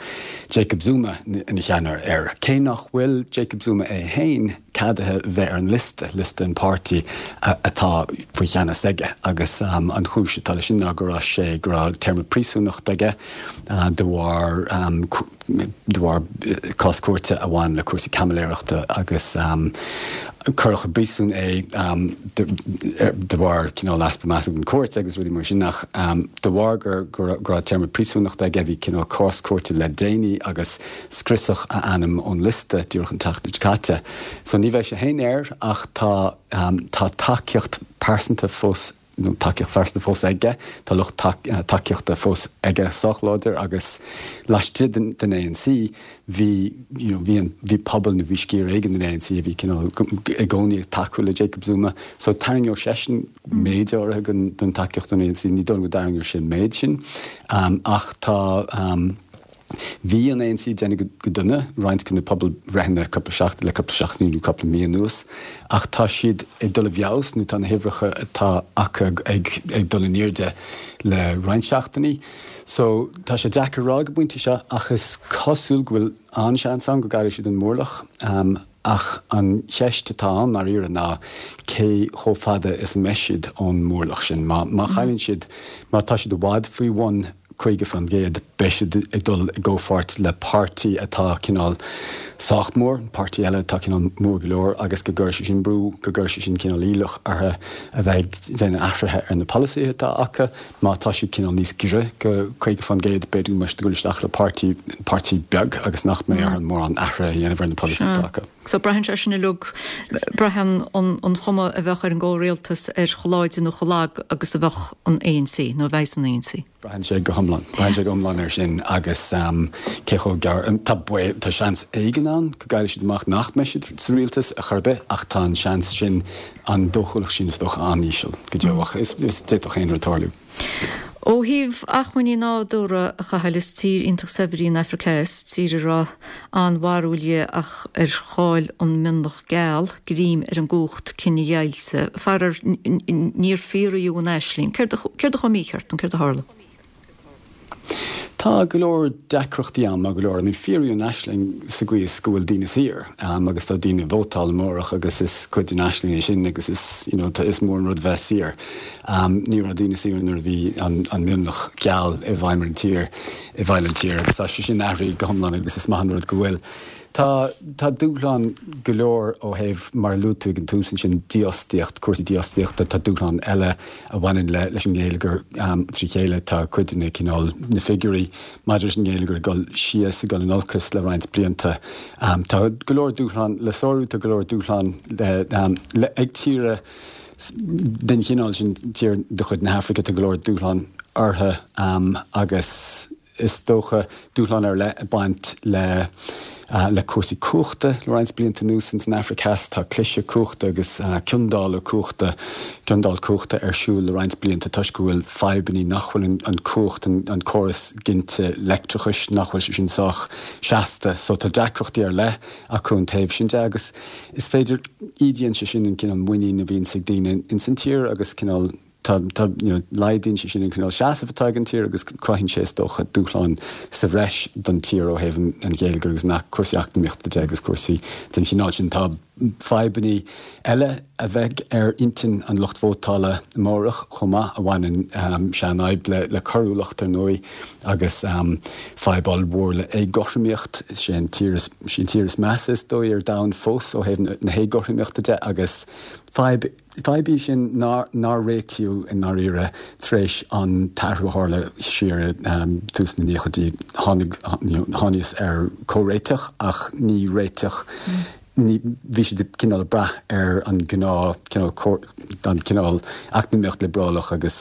Jacob Zuma ina cheannaire air. Cé nach bhfuil Jacob Zuma é féin ceadaithe bheith ar an liosta, liosta an pháirtí atá faoi cheannas aige, agus an chúis atá leis sin ná go raibh sé, go raibh téarma príosúnachta aige de bharr de bharr cás cúirte a bhain le cúrsaí caimiléireachta agus cuireadh i bpríosún é de bharr cineál easpa measa don chúirt agus rudaí mar sin ach de bharr gur go raibh téarma príosúnachta aige bhí cineál cás cúirte le déanaí agus scriosadh a ainm ón liosta díreach an tseachtain seo caite. So ní bheidh sé féin air ach tá tá tacaíocht pearsanta fós nó tacaíocht phearsanta fós aige, tá lucht tacaíochta fós aige sách láidir agus laistigh den den ANC bhí you know bhí an bhí pobal nó bhí sciar éigin den ANC a bhí cineál i gcónaí ag tacú le Jacob Zuma so tarraingeoidh seisean méid áirithe den den tacaíocht don ANC, ní dóigh liom go dtarraingeoidh sé an méid sin ach tá Bhí an ANC ag déanamh go dona roinnt de na pobalbhreitheanna cúpla seachtain le cúpla seachtain nó cúpla mí anuas ach tá siad ag dul i bhfeabhas nó tá na huimhreacha atá acu ag ag dul in airde le roinnt seachtainí. So tá sé deacair a rá ag an bpointe seo ach is cosúil go bhfuil an-seans ann go gcaillfidh siad an mórlach. Ach an cheist atá ann ndáiríre ná cé chomh fada is a mbeidh siad ón mórlach sin. Má má chailleann siad, má tá siad i bhfad faoi bhun caoga faoin gcéad, beidh siad ag dul i gcomhpháirt le páirtí atá cineál sách mór, páirtí eile atá cineál mór go leor agus go gcuirfidh sé sin brú, go gcuirfidh sé sin cineál iallach orthu a bheith ag déanamh athruithe ar na polasaithe atá acu. Má tá siad cineál níos giorra go caoga faoin gcéad, b'fhéidir go mbeidh siad ag dul isteach le páirtí, páirtí beag agus nach mbeidh orthu mórán athruithe a dhéanamh ar na polasaithe atá acu. So braitheann sé sin uilig, braitheann an chuma a bheadh ar an gcomhrialtas ar chomh láidir nó chomh lag agus a bheadh an ANC, nó a bheas an ANC. Braitheann sé go hiomlán. Braitheann sé go hiomlán air sin agus cé chomh gearr, tá baol, tá seans éigin ann go gcaillfidh siad amach nach mbeidh siad sa rialtas ar chor ar bith ach tá an seans sin, an dóchúlacht sin is dócha an-íseal go deo ach is, d'fhéadfadh aon rud tarlú. Ó thaobh acmhainní nádúrtha, a Chathail, is tír iontach saibhir í an Afraic Theas, tír a raibh an-bharúil dhi ach ar chaill an mionlach geal greim ar an gcumhacht cinedheighilte. Faraor, níor fíoraíodh an aisling. Céard a chuaigh mícheart nó céard a tharla? Tá go leor deacrachtaí ann, maith go leor. I mean, fíoraíodh an aisling sa gcaoi is go bhfuil daoine saor agus tá daoine ag vótáil amárach agus is cuid den aisling é sin agus is, you know, tá, is mór an rud bheith saor. Ní raibh daoine saor nuair a bhí an, an mionlach geal i bhfeidhm ar an tír, i bhfeighil an tír agus tá sé sin athraithe go hiomlán agus is maith an rud go bhfuil. Tá, tá dúshlán go leor ó thaobh, mar a luaigh tú ag an tús ansin, dífhostaíocht, cúrsaí dífhostaíochta, tá dúshlán eile a bhaineann le, leis an ngeilleagar trí chéile, tá cuid de na cineál, na figiúirí maidir leis an ngeilleagar ag dul síos, ag dul in olcas le roinnt blianta. Tá go leor dúshlán le sárú, tá go leor dúshlán le, le, ag tíortha den chineál sin, tír de chuid na hAfraice, tá go leor dúshlán orthu agus. Is dócha, dúshlán ar leith ag baint le le cúrsaí cumhachta le roinnt blianta anuas ins an Afraic Theas. Tá cliseadh cumhachta agus ciondáil cumhachta, ciondáil cumhachta ar siúl le roinnt blianta toisc go bhfuil fadhbannaí nach bhfuil an cumhacht, an córas ginte leictreachais, nach bhfuil sé sin sách seasta. So tá deacrachtaí ar leith acu an taobh sin de agus is féidir, ídíonn sé sin an cineál muinín a bhíonns ag daoine ins an tír agus cineál, Tá, tá, you know, laghdaíonn sé sin an cineál seasamh atá ag an tír agus cruthaíonn sé, is dócha, dúshláin sa bhreis don tír ó thaobh an gheilleagair agus na cúrsaí eacnamaíochta de agus cúrsaí den chineál sin. Tá fadhbannaí eile a bheidh ar intinn an lucht vótála amárach chomh maith a bhaineann, seanfhadhb le, le coiriúlacht, ar ndóigh, agus fadhb ollmhór le éagothromaíocht. Is é an tír is, is í an tír is measa, is dóigh, ar domhan fós ó thaobh na héagothromaíochta de agus fadhb, Fadhb í sin nár réitíodh i ndáiríre tar éis an t-athrú a tharla siar i dtús na nóchaidí. Tháinig, thángthas ar comhréiteach ach ní réiteach, ní, bhí siad cineál ag brath ar an gnáth cineál, an cineál eacnamaíocht liobrálach agus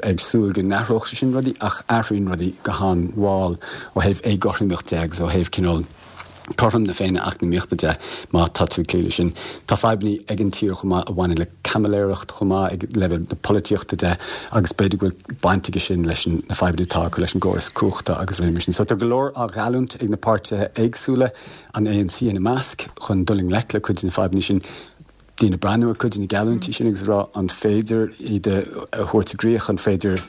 ag súil go n-athródh sé sin rudaí ach athraíonn rudaí go han-mhall ó thaobh éagothromaíocht de agus ó thaobh cineál cothrom na Féinne eacnamaíochta de, má tá tú ag cloí leis sin. Tá fadhbanna ag an tír chomh maith a bhaineann le caimiléireacht chomh maith ag leibhéal na polaitíochta de agus b'fhéidir go bhfuil baint aige sin leis na fadhbanna atá acu leis an gcóras cumhachta agus rudaí mar sin. So tá go leor á gheallúint ag na páirtithe éagsúla, an ANC ina measc, chun dul i ngleic le cuid de na fadhbanna sin. daoine breathnú ar cuid de na geallúintí sin agus rá an féidir iad a thabhairt i gcrích, an féidir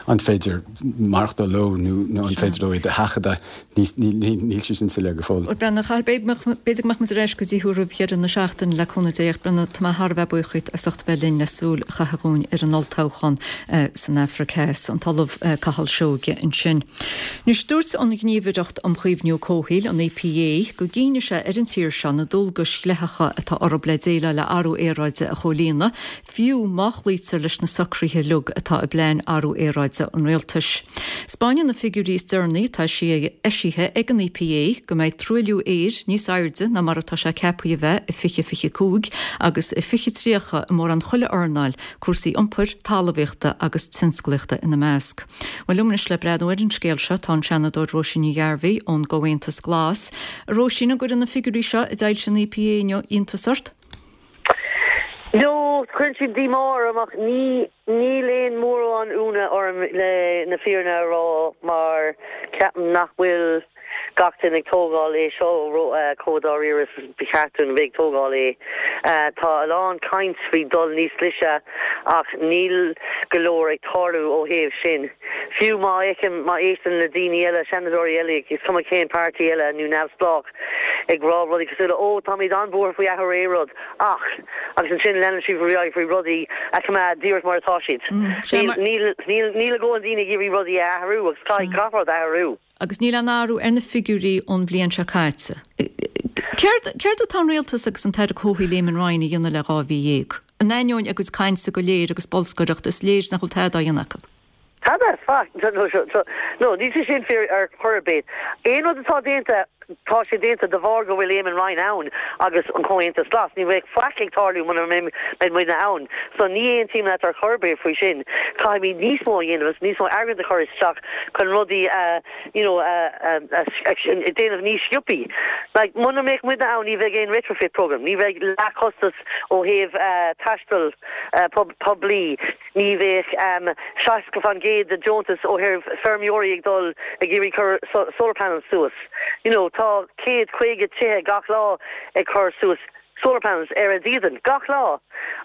an féidir maireachtáil leo nó an féidir leo iad a sheachadadh. Níl sé sin soiléir go fóill. Bhuel, Brendan, b'fhéidir go mbeadh muid ar ais go dtí thú roimh dheireadh na seachtaine le cúnamh Dé ach Brendan, tá mé thar a bheith buíoch díot as ucht a bheith linn le súil a chaitheamh dhúinn ar an olltoghchán san Afraic Theas, an tOllamh Cathal Seoige ansin. Anois, dúirt an Ghníomhaireacht um Chaomhnú Comhshaoil, an EPA, go gcinnfidh sé ar an tír seo na dualgais dhleathacha atá orthu le déileáil le athrú aeráide a chomhlíonadh, fiú má chloítear leis na socruithe uilig atá i bplean athrú aeráide an rialtais. 'Spáineann na figiúirí is deireanaí atá eisithe ag an EPA go mbeidh truailliú aeir níos airde ná mar atá sé ceaptha a bheith i fiche fiche cúig agus i fiche tríocha i mórán chuile earnáil, cúrsaí iompair, talmhaíochta agus tionsclaíochta ina measc. Bhuel, liom anois le breathnú ar an scéal seo tá an Seanadóir Róisín Ní Ghairbhí ón gComhaontas Glas. A Róisín, an gcuireann na figiúirí seo a d'fhoilsigh an EPA inniu iontas ort? No, cuireann siad díomá orm ach ní níl aon mórán ionadh orm le na fírinne a rá mar ceapaim nach bhfuil gach duine ag tógáil é seo chomh dáiríre is ba cheart dúinn bheith ag tógáil é. Tá a lán caint faoi dul níos glaise ach níl go leor ag tarlú ó thaobh sin. Fiú má fheicim, má éisteann le daoine eile, seanadóirí eile, is cuma cén páirtí eile nó neamhspleách, ag rá rudaí cosúil le 'Ó, táimid an-bhuartha faoi athrú aeráide, ach. agus ansin leanann siad ar aghaidh faoi rudaí a choimeád díreach mar atá siad. Níl, níl, níl a dhóthain daoine ag iarraidh rudaí a athrú agus caithfidh gach rud a athrú. Agus níl aon athrú ar na figiúirí ón bhliain seo caite. Céard, céard atá an rialtas agus an tAire Comhshaoil Eamon Ryan a dhéanamh le dhá mhí dhéag? In ainneoin a gcuid cainte go léir agus bolscaireacht, is léir nach bhfuil tada á dhéanamh acu. Tada, faic, no, níl sé sin fíor ar chor ar bith. Aon rud atá déanta, tá sé déanta de bharr go bhfuil Eamon Ryan ann agus an Comhaontas Glas. Ní bheadh faic ag tarlú muna mbeidh muidne ann. So ní aontaím leat ar chor ar bith faoi sin. Caithfimid níos mó a dhéanamh agus níos mó airgead a chur isteach chun rudaí a, you know, a, a, a déanamh níos sciobthaí. Like, muna mbeadh muidne ann ní bheadh aon retrofit program, ní bheadh leathchostas ó thaobh taisteal poiblí. Ní bheadh seasca faoin gcéad de deontas ó thaobh feirmeoirí ag dul ag iarraidh cur solar panels suas. You know, tá céad caoga tithe gach lá ag cur suas solar panels ar a dídean, gach lá!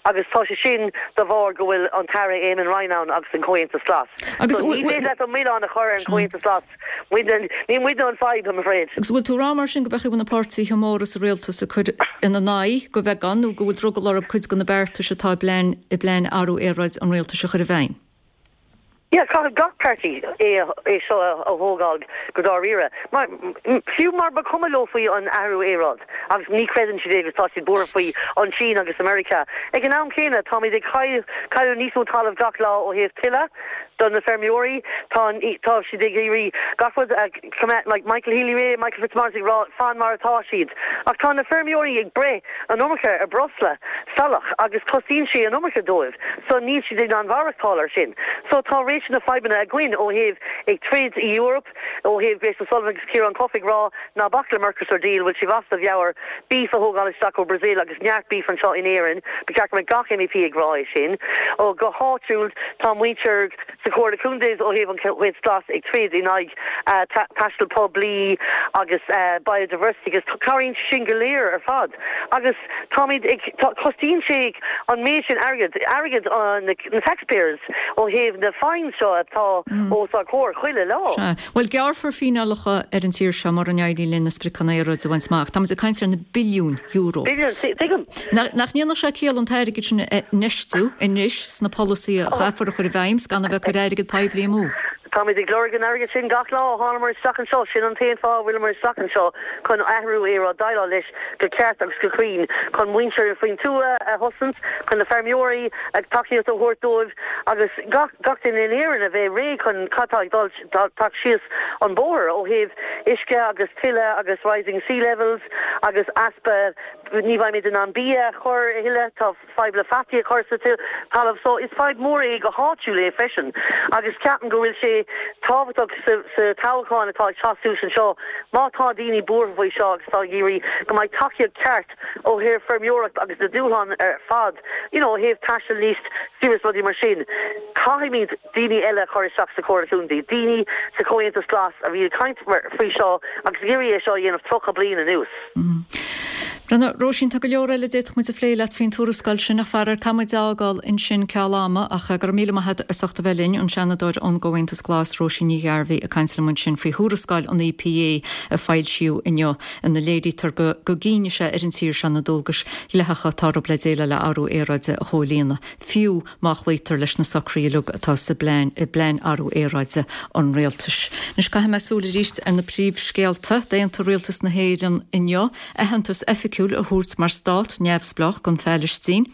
Agus tá sé sin de bharr go bhfuil an tAire Eamon Ryan ann agus an Comhaontas Glas. Agus So ní féidir leat an milleán a chur ar an Chomhaontas Glas. Muidne, ní muidne an fadhb, I'm afraid. Agus bhfuil tú ag rá mar sin go mbeadh na páirtithe móra sa rialtas ag cur ina n-aghaidh go bheagán nó go bhfuil drogall orthu cuid de na beartais atá i bplean i bplean athrú aeráide an rialtais a chur i bhfeidhm? Yeah, caithfidh gach páirtí é é seo a thógáil go dáiríre. Mar, fiú mar ba chuma leo faoi an athrú aeráid agus ní chreideann siad é agus tá siad buartha faoi an tSín agus America. Ag an am céanna táimid ag cailleadh níos mó talamh gach lá ó thaobh tuile. Do na feirmeoirí, tá tá siad ag iarraidh gach rud a choimeád, like Michael Healy-Rae, Michael Fitzmaurice ag rá fan mar atá siad. Ach tá na feirmeoirí ag breith an iomarca ar breosla salach agus cosnaíonn sé an iomarca dóibh so níl siad in ann maireachtáil ar sin. So tá réimse na fadhbanna againn ó thaobh ag troid i Europe, ó thaobh Grace O'Sullivan agus Ciarán Cuffe ag rá ná bac le Mercosur deal, bhfuil sibh as bhur meabhair, beef a thógáil isteach ó Brazil agus neart beef anseo in Éirinn, ba cheart go mbeadh gach MEP ag rá é sin. Ó go háitiúil tá muintir sa Chomhairle Contae ó thaobh an Chomhaontais Glas ag troid in aghaidh taisteal poiblí agus biodiversity agus cabhraíonn sé sin go léir ar fad agus táimid ag, cosnaíonn sé an méid sin airgead, airgead na taxpayers ó thaobh na fines seo atá os ár gcomhair chuile lá. Sea. Bhuel, gearrfar fíneálacha ar an tír seo mura n-éiríonn linn na spriocanna aeráide a bhaint amach. Táimid ag caint ar na billiúin euro. Billiúin, tuigim. Nach ndéanfadh sé ciall an t-airgead sin a infheistiú anois sna polasaithe a chaithfear a chur i bhfeidhm 's gan a bheith ag cur airgead poiblí amú? Táimid ag lorg an airgid sin gach lá ó thánamar isteach anseo. Sin an t-aon fáth a bhfuileamar isteach anseo, chun athrú aeráide, déileáil leis go ceart agus go cruinn, chun muintir faoin tuath a chosaint, chun na feirmeoirí, tacaíocht a thabhairt dóibh agus gach gach duine in Éirinn a bheith réidh chun cad tá ag dul teacht síos an bóthar ó thaobh uisce agus tuile agus rising sea levels agus easpa ní bheimid in ann bia a chur a thuilleadh, tá fadhb le fataí a chur sa talamh so is fadhb mór é go háitiúil é freisin agus ceapaim go bhfuil sé tábhachtach sa sa toghchán atá ag teacht suas anseo má tá daoine buartha faoi seo agus tá ag iarraidh go mbeidh tacaíocht ceart ó thaobh feirmeoireacht agus na dúshláin ar fad you know ó thaobh taisteal níos saoire is rudaí mar sin caithfimid daoine eile a chur isteach sa Chomhairle Contae, daoine sa Chomhaontas Glas a bhí ag caint faoi seo agus ag iarraidh é seo a dhéanamh tríocha bliain anuas. Rena, Róisín, tá go leor eile a d'fhéadfadh muid a phlé leat faoin tuarascáil sin ach faraor caithfidh muid a fhágáil ansin ceal ama ach go raibh míle maith agat as ucht a bheith linn, an Seanadóir ón gComhaontas Glas Róisín Ní Ghairbhí ag caint liom ansin faoi thuarascáil an EPA a foilsíodh inniu ina léirítear go go gcinnfidh sé ar an tír seo na dualgais dhleathacha atá orthu le déileáil le athrú aeráide a chomhlíonadh, fiú má chloítear leis na socruithe uilig atá sa bplean i bplean athrú aeráide an rialtais. Anois caithfidh mé súil arís ar na príomhscéalta. D'aontaigh Rialtas na hÉireann inniu aitheantas oifigiúil a thabhairt mar stát neamhspleách don Phailistín.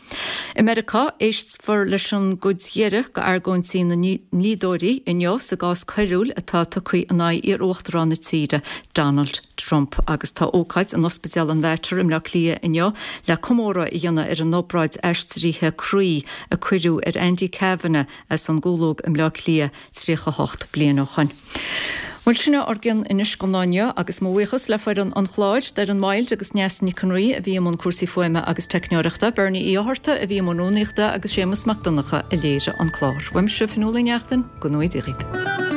I Meiriceá, éistfear leis an gcuid dheiridh d'argóintí na ndlíodóirí inniu sa gcás coiriúil atá tugtha in aghaidh iar-uachtarán na tíre, Donald Trump. Agus tá ócáid in Ospidéal an Mhater i mBleá Cliath inniu le comóradh a dhéanamh ar an obráid aistrithe croí a cuireadh ar Andy Kavanagh as an gCúlóg i mBleá Cliath tríocha hocht bliain ó shoin. Bhuel, sin é ár gcion anois don lá inniu agus mo bhuíochas le foireann an chláir, Doireann Wild agus Neasa Nic an Rí a bhí i mbun cúrsaí fuaime agus teicneoireachta, Bernie Uí Fhátharta a bhí i mbun rúnaíochta agus Séamus Mac Donncha a léirigh an clár. Uaimse, Fionnuala Ní Neachtain, go ngnóthaí Dia dhaoibh.